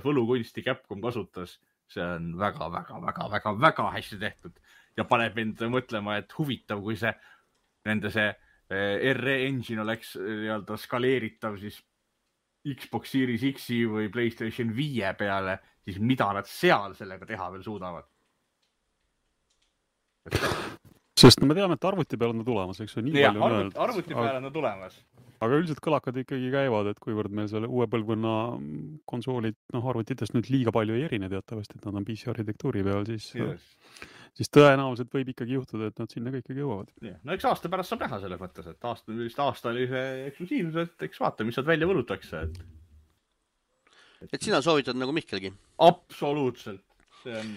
S3: võlukunsti Capcom kasutas, see on väga hästi tehtud ja paneb mind mõtlema, et huvitav, kui see RE engine oleks nii-öelda skaleeritav siis Xbox Series X-i või PlayStation 5 peale, siis mida nad seal sellega teha veel suudavad?
S2: Sest me teame, et arvuti peal on ta tulemas, eks ju, nii palju on öeldud.
S3: Arvuti peal on ta tulemas.
S2: Aga üldiselt kõlakad ikkagi käivad, et kuivõrd meil selle uue põlvkonna konsoolid arvutitest nüüd liiga palju ei erine teatavasti, et nad on PC arhitektuuri peal, siis tõenäoliselt võib ikkagi juhtuda, et nad sinna ka ikkagi jõuavad.
S3: No eks aasta pärast saab näha selles mõttes, et aasta oli see eksklusiivsus, et eks vaata, mis sealt välja võlutakse.
S1: Et sina soovitad nagu Mihkelgi?
S3: Absoluutselt. See on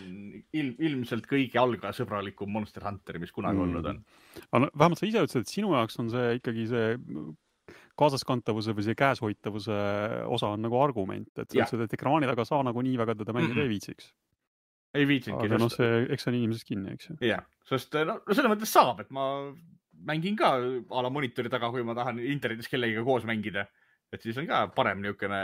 S3: ilmselt kõige algasõbralikum Monster Hunter, mis kunagi olnud on.
S2: Vähemalt sa ise ütlesid, et sinu jaoks on see ikkagi see kaasaskantavuse või see käeshoitavuse osa on nagu argument, et ekraani taga saa nagu nii väga teda mängida ei viitsiks.
S3: Ei viitsingi.
S2: Aga eks on inimesest kinni, eks ju.
S3: Jah, sest selle mõttes saab, et ma mängin ka a la monitori taga, kui ma tahan internetis kellegiga koos mängida. Et siis on ka parem niukene,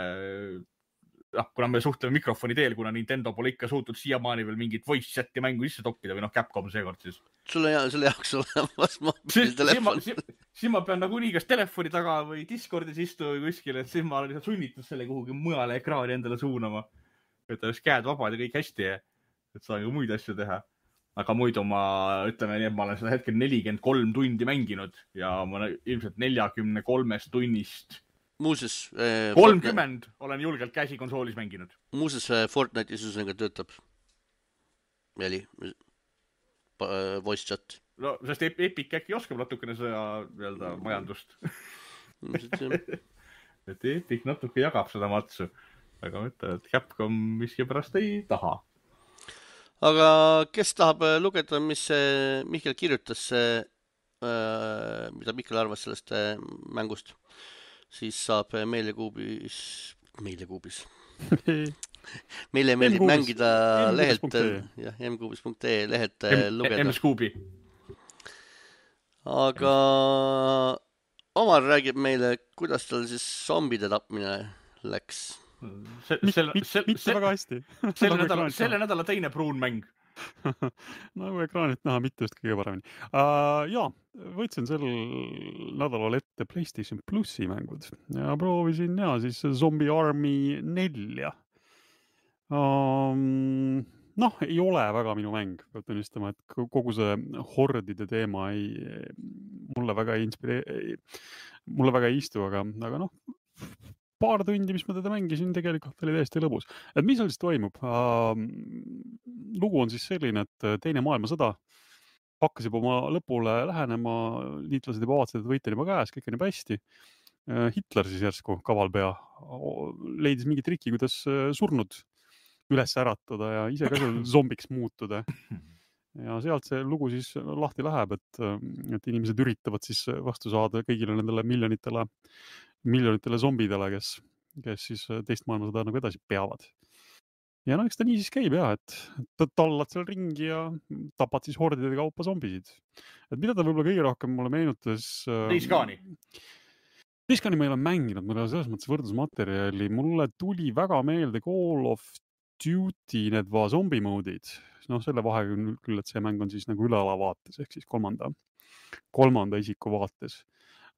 S3: kuna me suhtleme mikrofoni teel, kuna Nintendo pole ikka suutnud siiamaani veel mingit voice chati mängu sisse toppida või Capcom seekord siis.
S1: Sulle jaoks olemas mobiiltelefon.
S3: Siis ma pean nagunii kas telefoni taga või Discordis istu või kuskil, et siis ma olen lihtsalt sunnitud selle kuhugi mujale ekraani endale suunama. Et oleks käed vabad ja kõik hästi, et saan ju muid asju teha. Aga muidu ma olen seda hetkel 43 tundi mänginud ja ma ilmselt 43 tunnist
S1: Muuses
S3: 30 olen julgelt käsikonsoolis mänginud.
S1: Muuses Fortnite'i süsuniga töötab Veli voice chat.
S3: No, sest Epic äkki oskab natukene seda majandust. Et Epic natuke jagab seda matsu. Aga mõtlen, et Capcom miski pärast ei taha.
S1: Aga kes tahab lugeda, mis Mihkel kirjutas, mida Mihkel arvas sellest mängust? Siis saab meilekuubis meile meeldib mängida lehelt,
S2: mkuubis.ee.
S1: jah, mkuubis.ee lehelt lugeda.
S3: M-Scoobi.
S1: Aga Omar räägib meile, kuidas tal siis zombide tapmine läks.
S2: Mitte väga hästi.
S3: Selle nädala teine pruun mäng.
S2: Nagu ekraanilt näha, mitte just kõige paremini. Jaa, võtsin sel nädalal ette PlayStation Plusi mängud ja proovisin siis Zombie Army 4. Noh, ei ole väga minu mäng, peab tunnistama, et kogu see hordide teema mulle väga ei istu, aga noh, paar tundi, mis ma teda mängisin, tegelikult oli täiesti lõbus. Et mis seal siis toimub? Lugu on siis selline, et teine maailmasõda hakkas juba oma lõpule lähenema, liitlased juba vaatasid, et võit on juba käes, kõik on juba hästi. Hitler siis järsku, kavalpea, leidis mingi triki, kuidas surnud üles äratada ja ise ka zombiks muutuda. Ja sealt see lugu siis lahti läheb, et inimesed üritavad siis vastu saada kõigile nendele miljonitele zombidele, kes siis teist maailmasõda nagu edasi peavad. Ja no eks ta nii siis käib et tallad seal ringi ja tapad siis hordide kaupa zombisid. Et mida ta võib-olla kõige rohkem mulle meenutas... Days Gone'i ma ei ole mänginud, mul ei ole selles mõttes võrdlusmaterjali. Mulle tuli väga meelde Call of Duty need zombie mode'id. No selle vahe küll, et see mäng on siis nagu ülealavaates, ehk siis kolmanda isiku vaates.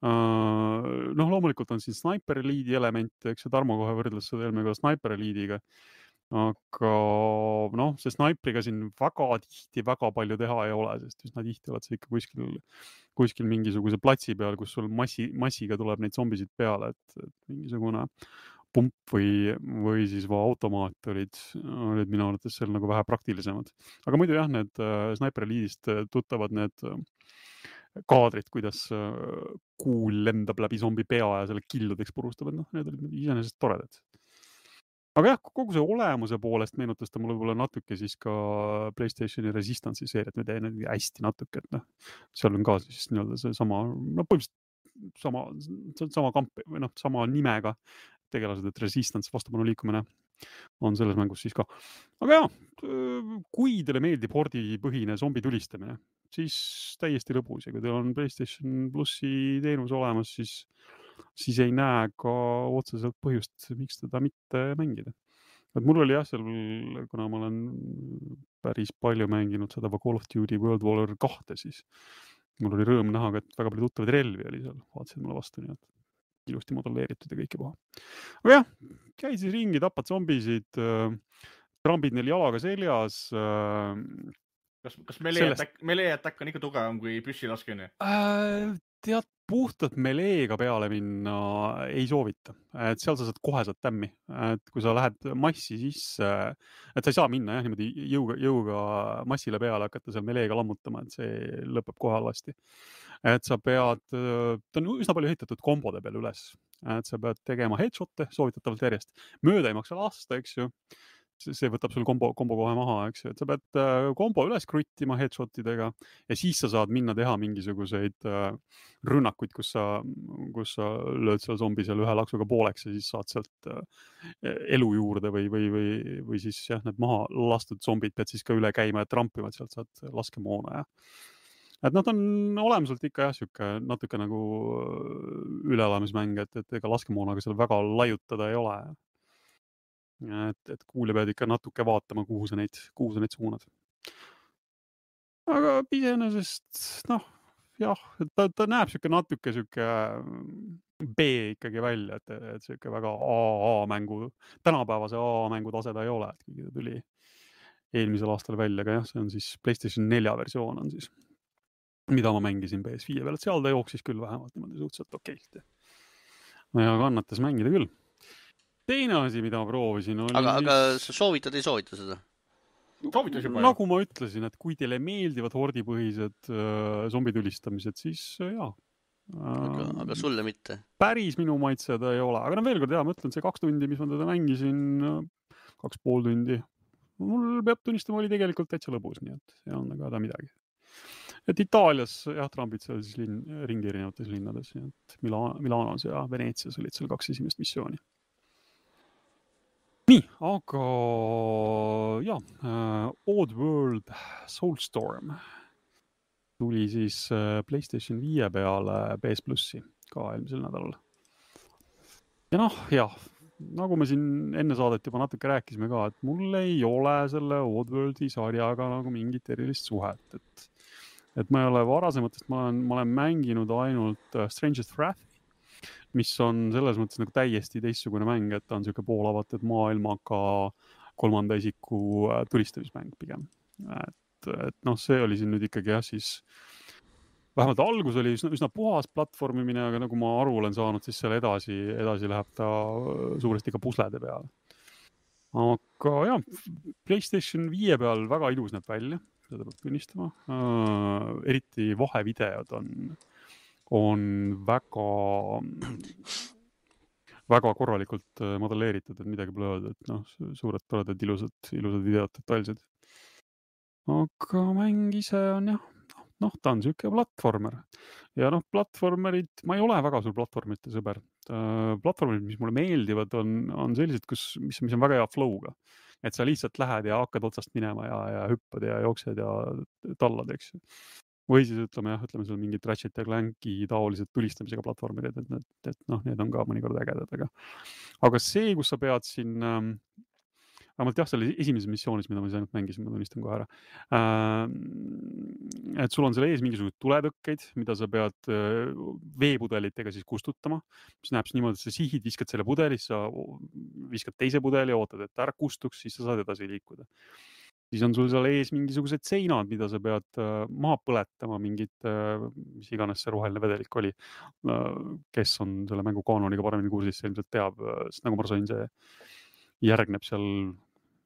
S2: Noh, loomulikult on siin Sniper Elite'i element, eks Tarmo kohe võrdles seda eelmega Sniper Elite'iga. Aga noh, see Snipriga siin väga tihti väga palju teha ei ole, sest üsna tihti oled sa ikka kuskil mingisuguse platsi peal, kus sul massiga tuleb neid zombisid peale, et mingisugune pump või siis automaat olid minu arvates seal nagu vähe praktilisemad. Aga muidu jah, need Sniper Elite'ist tuttavad need kaadrid, kuidas kuul lendab läbi zombi pea ja selle killudeks purustab, et noh, need olid iseenesest toredad. Aga jah, kogu see olemuse poolest meenutas ta mulle võib-olla natuke siis ka PlayStationi Resistance'i seeriat, me teen hästi natuke, et noh, seal on ka siis nii-öelda see sama, no põhimõtteliselt sama kamp või noh, sama nimega tegelased, et Resistance vastupanu liikumine on selles mängus siis ka. Aga jah, kui teile meeldib hordipõhine zombi tulistamine, siis täiesti lõbus ja kui teil on PlayStation Plusi teenus olemas, siis ei näe ka otseselt põhjust, miks teda mitte mängida. Et mul oli jah, seal, kuna ma olen päris palju mänginud seda Call of Duty World War 2, siis mul oli rõõm näha, et väga palju tuttavaid relvi oli seal, vaatasid mulle vastu, nii et ilusti modelleeritud ja kõike puha. Aga jah, käid siis ringi, tapad zombisid, trambid neil jalaga seljas.
S3: Kas melee attack on ikka tugevam kui püssilaskmine?
S2: Tead, puhtalt meleega peale minna ei soovita. Et seal sa saad kohe tämmi. Et kui sa lähed massi sisse, et sa ei saa minna niimoodi jõuga massile peale hakata seal meleega lammutama, et see lõpeb kohe halvasti. Et sa pead, ta on üsna palju ehitatud kombode peal üles. Et sa pead tegema headshot'e soovitatavalt järjest. Mööda ei maksa lasta, eks ju. See võtab sul kombo kohe maha, eks ju, et sa pead kombo üles kruttima headshotidega ja siis sa saad minna teha mingisuguseid rünnakuid, kus sa lööd seal zombi seal ühe laksuga pooleks ja siis saad sealt elu juurde või siis jah, need maha lastud zombid pead siis ka üle käima ja trampima, et sealt saad laskemoona ja et nad on olemuselt ikka jah, siuke natuke nagu üleelamismäng, et ega laskemoonaga seal väga laiutada ei ole. Et kuulja pead ikka natuke vaatama, kuhu sa neid suunad. Aga iseenesest, noh, jah, ta näeb siuke natuke siuke B ikkagi välja, et siuke väga A-mängu, tänapäevase A-mängu tase ta ei ole, et kuigi ta tuli eelmisel aastal välja, aga jah, see on siis PlayStation 4 versioon on siis, mida ma mängisin PS5 peal, et seal ta jooksis küll vähemalt niimoodi suhteliselt okeilt. Ja kannatas mängida küll. Teine asi, mida ma proovisin oli...
S1: Aga sa soovitad, ei soovita seda?
S3: Soovitas juba.
S2: Nagu ma ütlesin, et kui teile meeldivad hordipõhised zombitulistamised, siis jaa.
S1: Aga sulle mitte? Päris
S2: minu maitsed ei ole. Aga veel kord, jah, ma ütlen, see 2 tundi, mis ma teda mängisin, 2,5 tundi, mul peab tunnistama, oli tegelikult täitsa lõbus, nii et ei olnud ka midagi. Et Itaalias, jah, trambid seal siis ringi erinevates linnades, nii et Milanos ja Veneetsias olid seal 2 esimest missiooni. Nii, aga Oddworld Soulstorm tuli siis PlayStation 5 peale PS Plussi ka eelmisel nädalal. Ja nagu me siin enne saadet juba natuke rääkisime ka, et mul ei ole selle Oddworldi sarjaga nagu mingit erilist suhet, et ma ei ole varasematest, ma olen mänginud ainult Strangest Wrath, mis on selles mõttes nagu täiesti teistsugune mäng, et ta on siuke poolavatud maailmaga kolmanda isiku tulistamismäng pigem. Et see oli siin nüüd ikkagi siis vähemalt algus oli üsna puhas platvormimine, aga nagu ma aru olen saanud, siis seal edasi läheb ta suuresti ka puslede peale. Aga PlayStation 5 peal väga ilus näeb välja, seda peab tunnistama. Eriti vahevideod on väga korralikult modelleeritud, et midagi pole öelda, et suured toredad ilusad videod, detailsed. Aga mäng ise on ta on siuke platvormer. Ja platvormerid, ma ei ole väga suur platvormite sõber. Platvormerid, mis mulle meeldivad, on sellised, mis on väga hea flow'ga. Et sa lihtsalt lähed ja hakkad otsast minema ja hüppad ja jooksed ja tallad, eks. Või siis ütleme seal mingid Ratchet ja Clanki taolised tulistamisega platvormerid, et need on ka mõnikord ägedad, aga see, kus sa pead siin vähemalt seal esimeses missioonis, mida ma siis ainult mängisin, ma tunnistan kohe ära. Et sul on seal ees mingisugused tuletõkkeid, mida sa pead veepudelitega siis kustutama, mis näeb siis niimoodi, et sa sihid, viskad selle pudeli, sa viskad teise pudeli, ootad, et ära kustuks, siis sa saad edasi liikuda. Siis on sul seal ees mingisugused seinad, mida sa pead maha põletama, mingid, mis iganes see roheline vedelik oli, kes on selle mängu kaanoniga paremini kursis, see ilmselt teab, sest nagu ma sain, see järgneb seal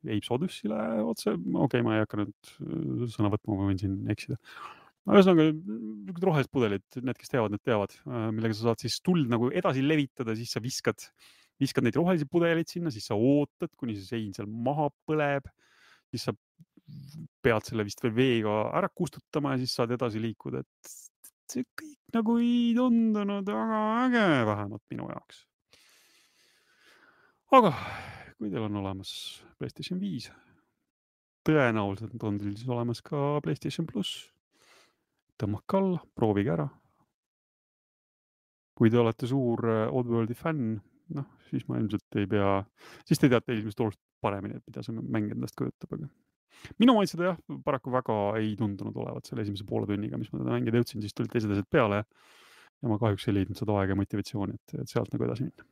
S2: Apes Odyssey'le otse. Okei, ma ei hakka nüüd sõna võtma, ma võin siin eksida. Ühesõnaga, rohelised pudelid, need, kes teavad, need teavad, millega sa saad siis tuld nagu edasi levitada, siis sa viskad neid rohelisi pudelid sinna, siis sa ootad, kuni see sein seal maha põleb, siis sa pead selle vist veel veega ära kustutama ja siis saad edasi liikuda, et see kõik nagu ei tundunud väga äge, vähemalt minu jaoks. Aga kui teil on olemas PlayStation 5, tõenäoliselt on teil siis olemas ka PlayStation Plus. Tõmmake alla, proovige ära. Kui te olete suur Oddworldi fänn, siis ma ilmselt ei pea, siis te teate ilmselt oluliselt paremini, et mida see mäng endast kujutab, aga minu maitseda paraku väga ei tundunud olevat selle esimese poole tunniga, mis ma teda mängida jõudsin, siis tulid teised asjad peale ja ma kahjuks ei leidnud seda aega ja motivatsiooni, et sealt nagu edasi minna.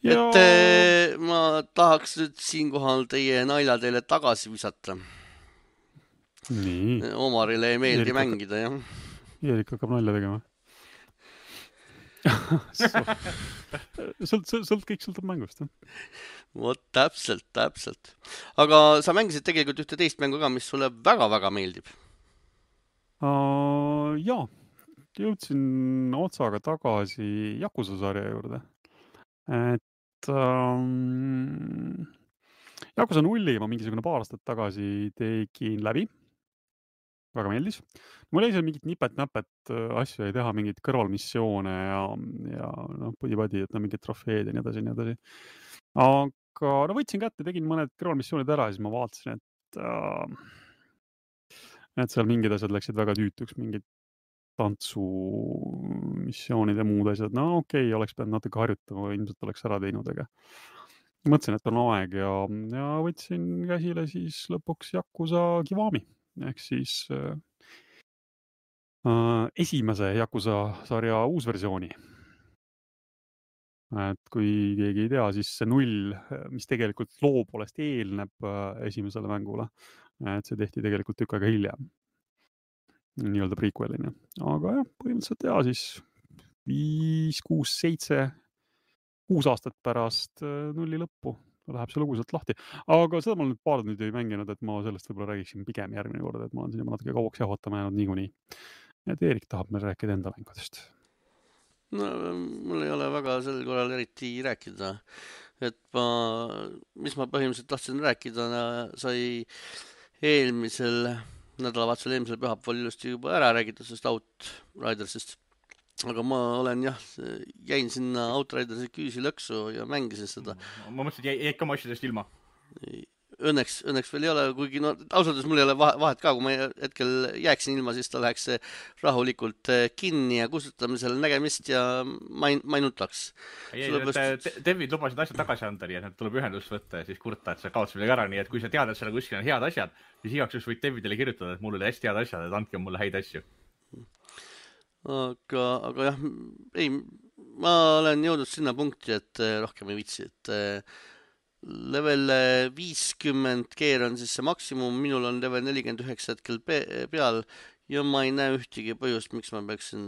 S1: Et ma tahaks nüüd siinkohal teie nalja teile tagasi visata.
S2: Nii.
S1: Omarile ei meeldi mängida, jah.
S2: Eerik hakkab nalja tegema. Kõik sõltub mängust.
S1: Vot täpselt. Aga sa mängisid tegelikult ühte teist mängu ka, mis sulle väga-väga meeldib.
S2: Jaa, jõudsin otsaga tagasi Yakuza sarja juurde. Et Yakuza 0 ma mingisugune paar aastat tagasi tegin läbi. Väga meeldis. Mul ei seal mingit nipet-näpet asju ei teha, mingid kõrvalmissioone ja pudi-padi, et mingid trofeed ja nii edasi. Aga võtsin kätte, tegin mõned kõrvalmissioonid ära ja siis ma vaatasin, et seal mingid asjad läksid väga tüütuks, mingid tantsumissioonid ja muud asjad. Okei, oleks pidanud natuke harjutama, ilmselt oleks ära teinud, aga mõtlesin, et on aeg ja võtsin käsile siis lõpuks Yakuza Kiwami. Ehk siis esimese Yakuza sarja uusversiooni. Et kui keegi ei tea, siis see 0, mis tegelikult loo poolest eelneb esimesele mängule, et see tehti tegelikult tükk aega hiljem. Nii-öelda prequelina. Aga põhimõtteliselt siis 5, 6, 7, 6 aastat pärast 0 lõppu läheb see lugu sealt lahti. Aga seda ma olen paar nüüd ei mänginud, et ma sellest võib-olla räägiksin pigem järgmine kord, et ma olen siin juba natuke kauaks jahvatama jäänud niikuinii. Et Eerik tahab meil rääkida enda mängudest.
S1: Mul ei ole väga sel korral eriti rääkida. Et mis ma põhimõtteliselt tahtsin rääkida, sai eelmisel nädalavahetusel, eelmisel pühapäeval ilusti juba ära räägitud sellest Outridersist. aga ma olen jah, jäin sinna Outridersi küüsi lõksu ja mängisin seda.
S3: Ma mõtlesin, et jäid ka oma asjadest ilma.
S1: Õnneks veel ei ole, kuigi no ausalt mul ei ole vahet ka, kui ma hetkel jääksin ilma, siis ta läheks rahulikult kinni ja kustutamisel nägemist ja ma ei nutaks.
S3: Devid lubasid asjad tagasi anda, nii et need tuleb ühendust võtta ja siis kurta, et sa kaotsid midagi ära, nii et kui sa tead, et seal kuskil on head asjad, siis igaks juhuks võid Devidele kirjutada, et mul oli hästi head asjad, et andke mulle häid asju.
S1: Aga jah, ei, ma olen jõudnud sinna punkti, et rohkem ei viitsi, et level 50 keer on siis see maksimum, minul on level 49 hetkel peal ja ma ei näe ühtegi põhjust, miks ma peaksin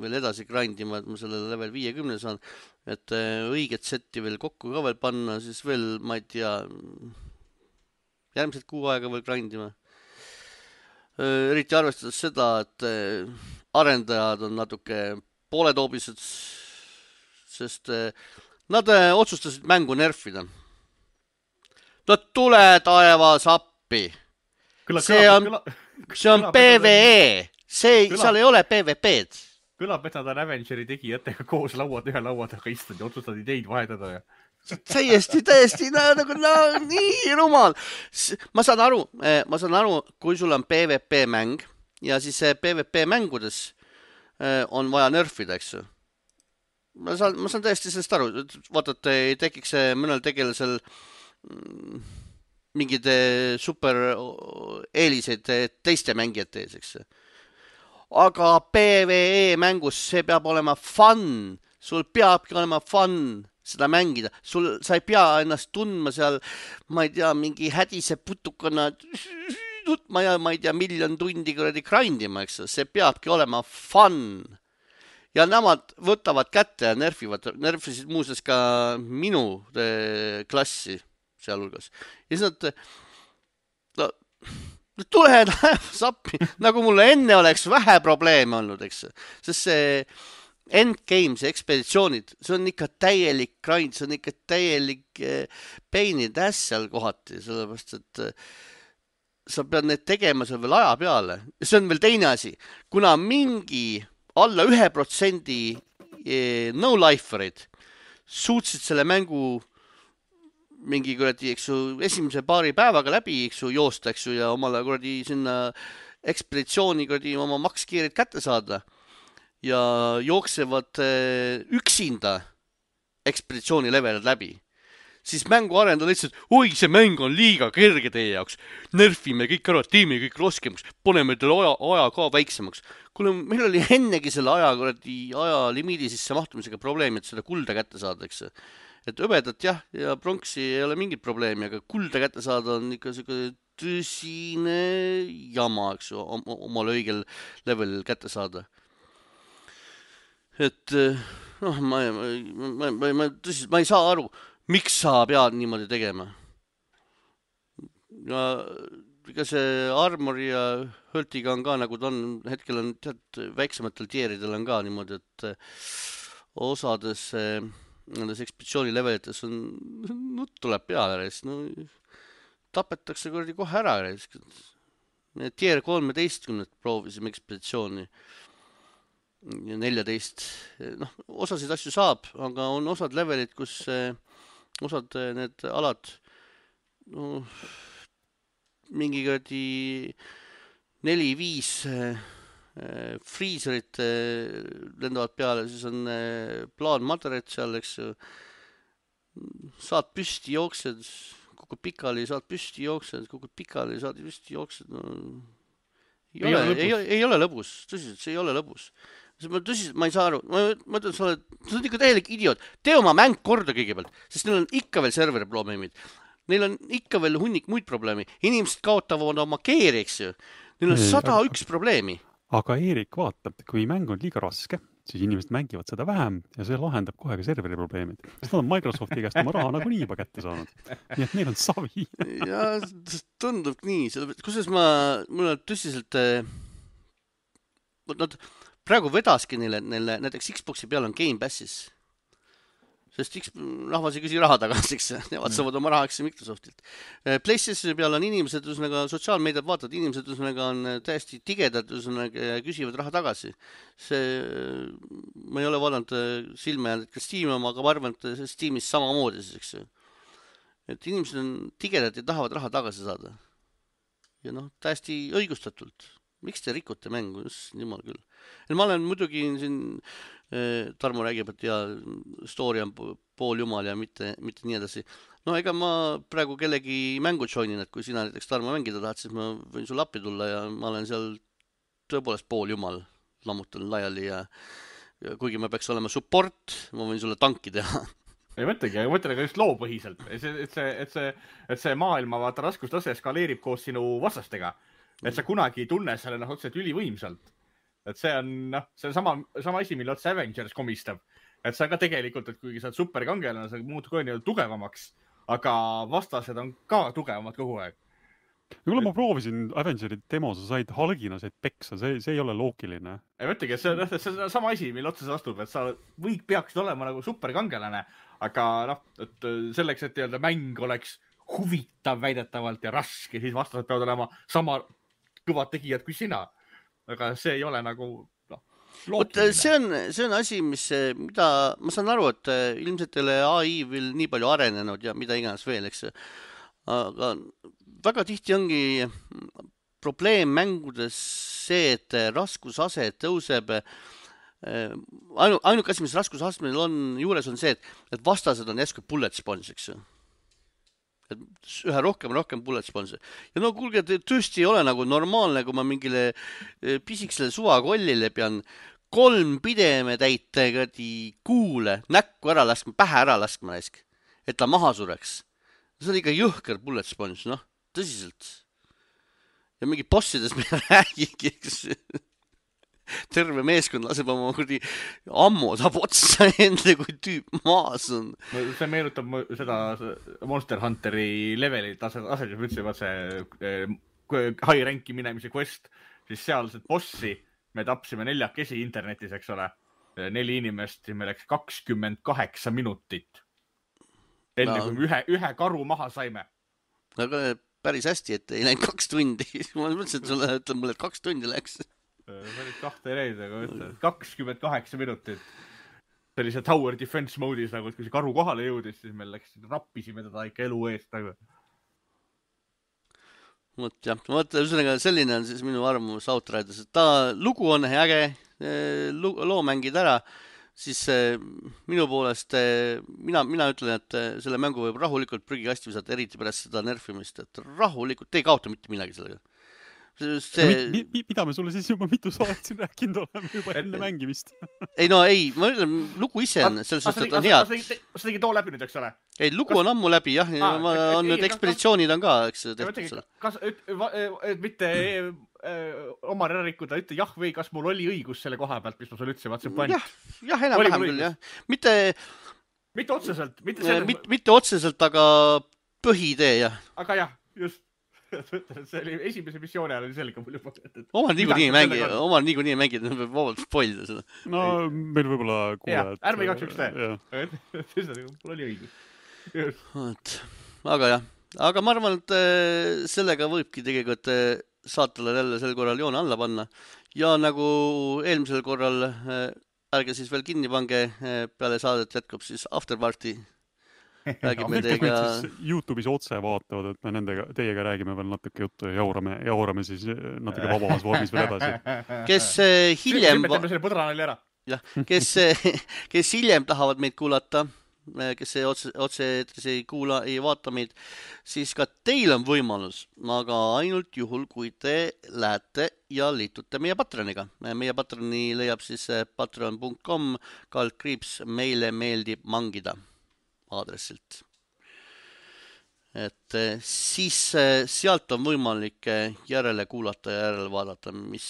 S1: veel edasi grindima, et ma selle level 50 saan, et õiget setti veel kokku ka veel panna, siis veel, ma ei tea, järgmised 6 aega veel grindima. Eriti arvestades seda, et arendajad on natuke pooletoobised, sest nad otsustasid mängu nerfida. No tule taevas appi. See on PvE. Seal ei ole PvP-d.
S3: Kõlab, et nad on Avengeri tegijatega koos ühe laua taga istunud ja otsustad ideid vahetada ja...
S1: Täiesti, nii rumal. Ma saan aru, kui sul on PvP-mäng ja siis PvP-mängudes on vaja nerfida, eks ju. Ma saan täiesti sellest aru. Vaata, et ei tekiks mõnel tegelasel mingid super eeliseid teiste mängijate ees, eks. Aga PvE mängus see peab olema fun. Sul peabki olema fun seda mängida. Sa ei pea ennast tundma seal, ma ei tea, mingi hädise putukana ma ei tea, miljon tundi kuradi grindima, eks. See peabki olema fun. Ja nemad võtavad kätte ja nerfisid muuseas ka minu klassi sealhulgas. Ja siis nad tule sappi, nagu mulle enne oleks vähe probleeme olnud, eks. Sest see endgame, see ekspeditsioonid, see on ikka täielik grind, see on ikka täielik pain in the ass seal kohati, sellepärast, et sa pead need tegema seal veel aja peale. See on veel teine asi. Kuna mingi alla 1% no-liferid suutsid selle mängu mingi kuradi, eks ju, esimese paari päevaga läbi, eks ju, joosta, eks ju, ja omale kuradi sinna ekspeditsiooni kuradi oma makskiirid kätte saada ja jooksevad üksinda ekspeditsiooni levelid läbi. Siis mängu arendada lihtsalt, oi, see mäng on liiga kerge teie jaoks. Nerfime kõik ära, teeme kõik roskemaks, paneme teile aja ka väiksemaks. Kuule, meil oli ennegi selle aja limiidi sisse mahtumisega probleemi, et seda kulda kätte saada, eks. Et õbedat jah, ja pronksi ei ole mingit probleemi, aga kulda kätte saada on ikka tõsine jama, eks ju, omal õigel levelil kätte saada. Et noh, ma ei saa aru, miks sa pead niimoodi tegema. Ja ega see Armori ja Höltiga on ka, nagu ta on, hetkel on väiksematel tieridel on ka niimoodi, et osades nendes ekspeditsiooni levelites on, nutt tuleb peale, no, tapetakse kuradi kohe ära. Tier 13 proovisime ekspeditsiooni ja 14. Noh, osasid asju saab, aga on osad levelid, kus osad need alad no, mingi kuradi 4-5 freezerit lendavad peale, siis on plaan maderit seal, eks ju. Saad püsti jooksed, kukud pikali, saad püsti jooksed, kukud pikali, saad püsti jooksed. No, ei ole lõbus, tõsiselt, see ei ole lõbus. Tõsiselt, ma ei saa aru, ma mõtlen, sa oled ikka täielik idioot. Tee oma mäng korda kõigepealt, sest neil on ikka veel serveri probleemid. Neil on ikka veel hunnik muid probleemi. Inimesed kaotavad oma keeri, eks ju. Neil on 101 probleemi.
S2: Aga Eerik vaatab, kui mäng on liiga raske, siis inimesed mängivad seda vähem ja see lahendab kohe ka serveri probleemid. Sest nad on Microsofti käest oma raha nagunii juba kätte saanud. Nii et neil on savi.
S1: Ja tundub nii. Kusjuures mul on tõsiselt nad praegu vedaski neile näiteks Xboxi peal on Game Passis. sest rahvas ei küsi raha tagasi, eks nemad saavad oma raha, eks Microsoftilt. PlayStationi peal on inimesed, ühesõnaga sotsiaalmeediat vaatavad inimesed, ühesõnaga on täiesti tigedad, ühesõnaga küsivad raha tagasi. Ma ei ole vaadanud silme jäänud, kas Steam oma, aga ma arvan, et Steamis samamoodi siis, eks ju. Et inimesed on tigedad ja tahavad raha tagasi saada. Ja täiesti õigustatult. Miks te rikute mängu? Jumal küll. Ja ma olen muidugi siin Tarmo räägib, et story on pool jumal ja mitte nii edasi. No ega ma praegu kellegi mängu joinin, et kui sina näiteks Tarmo mängida tahad, siis ma võin sulle appi tulla ja ma olen seal tõepoolest pool jumal, lammutan laiali ja kuigi ma peaks olema support, ma võin sulle tanki teha.
S3: Ei mõtlegi, aga mõtle ka just loopõhiselt, et see maailma vaata raskustase skaleerib koos sinu vastastega, et sa kunagi ei tunne selle otseselt ülivõimsalt. Et see on sama asi, mille otsa Avengers komistab. Et sa ka tegelikult, et kuigi sa oled superkangelane, sa muutud kogu aeg tugevamaks, aga vastased on ka tugevamad kogu aeg.
S2: Kuule, ma proovisin Avengeri demo, sa said halgina said peksa, see ei ole loogiline.
S3: Ei mõtlegi, et see on sama asi, mille otsa sa astub, et sa peaksid olema nagu superkangelane, aga et selleks, et mäng oleks huvitav väidetavalt ja raske, siis vastased peavad olema sama kõvad tegijad kui sina. Aga see ei ole nagu loogiline.
S1: See on asi, mida ma saan aru, et ilmselt ei ole AI veel nii palju arenenud ja mida iganes veel, eks. Aga väga tihti ongi probleem mängudes see, et raskusase tõuseb. Ainuke asi, mis raskusastmel on juures, on see, et vastased on jäsku bullet sponge, eks. Et ühe rohkem bullet sponge. Ja kuulge, tõesti ei ole nagu normaalne, kui ma mingile pisiksele suvakollile pean 3 pideme täite kuule, näkku ära laskma, pähe ära laskma, et ta maha sureks. See on ikka jõhker bullet sponge, tõsiselt. Ja mingi bossides me räägigi, eks. Terve meeskond laseb oma ammo saab otsa enda, kui tüüp maas on.
S3: See meenutab seda Monster Hunteri levelit asetus, ütlesin, see high ranki minemise quest, siis sealset bossi me tapsime 4 internetis, eks ole. 4 inimest, me läks 28 minutit. Enne kui ühe karu maha saime.
S1: Aga päris hästi, et ei läinud 2 tundi. Ma mõtlesin, et sulle ütleb mulle, et 2 tundi läks.
S3: See oli 2 reid, aga ütlen, 28 minutit. See oli see tower defense mode'is, nagu kui see karu kohale jõudis, siis me rappisime teda ikka elu eest.
S1: Ühesõnaga selline on siis minu arvamus Outriders, et lugu on äge, loo mängid ära, siis minu poolest mina ütlen, et selle mängu võib rahulikult prügikasti visata, eriti pärast seda nerfimist, et rahulikult, te ei kaota mitte midagi sellega.
S2: Mida me sulle siis juba mitu saadet siin rääkinud oleme juba enne mängimist?
S1: Ei, ma ütlen, lugu ise on, selles suhtes, et on hea.
S3: Sa tegid too läbi nüüd, eks ole?
S1: Ei, lugu on ammu läbi, jah. On need ekspeditsioonid on ka, eks.
S3: Kas mitte Omar ära rikkuda, ütle jah või kas mul oli õigus selle koha pealt, mis ma sulle ütlesin?
S1: Jah, enam-vähem küll, jah.
S3: Mitte otseselt.
S1: Mitte otseselt, aga põhitee, jah.
S3: Aga jah, just. See oli esimese missiooni ajal oli selge mul juba.
S1: Omar niikuinii mängid, me peab vabalt spoilida seda.
S2: No meil võib-olla kuulajad.
S3: Ärme igaks üks tee. Mul oli õigus.
S1: Aga jah. Aga ma arvan, et sellega võibki tegelikult saatele jälle sel korral joone alla panna. Ja nagu eelmisel korral ärge siis veel kinni pange, peale saadet jätkub siis Afterparty. Räägime teiega...
S2: YouTube'is otse vaatavad, et me teiega räägime veel natuke juttu ja jaurame siis natuke vabamas vormis veel edasi.
S1: Kes hiljem...
S3: Teeme selle põdranali ära.
S1: Jah, kes hiljem tahavad meid kuulata, kes otse ei kuula, ei vaata meid, siis ka teil on võimalus, aga ainult juhul, kui te lähete ja liitute meie Patroniga. Meie Patroni leiab siis patreon.com / meile meeldib mangida aadressilt. Et siis sealt on võimalik järele kuulata ja järele vaadata, mis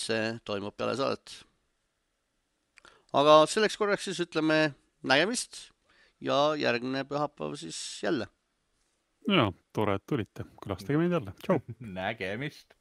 S1: toimub peale saadet. Aga selleks korraks siis ütleme nägemist ja järgmine pühapäev siis jälle.
S2: Ja, tore, et tulite. Külastage meid jälle. Tšau!
S3: Nägemist!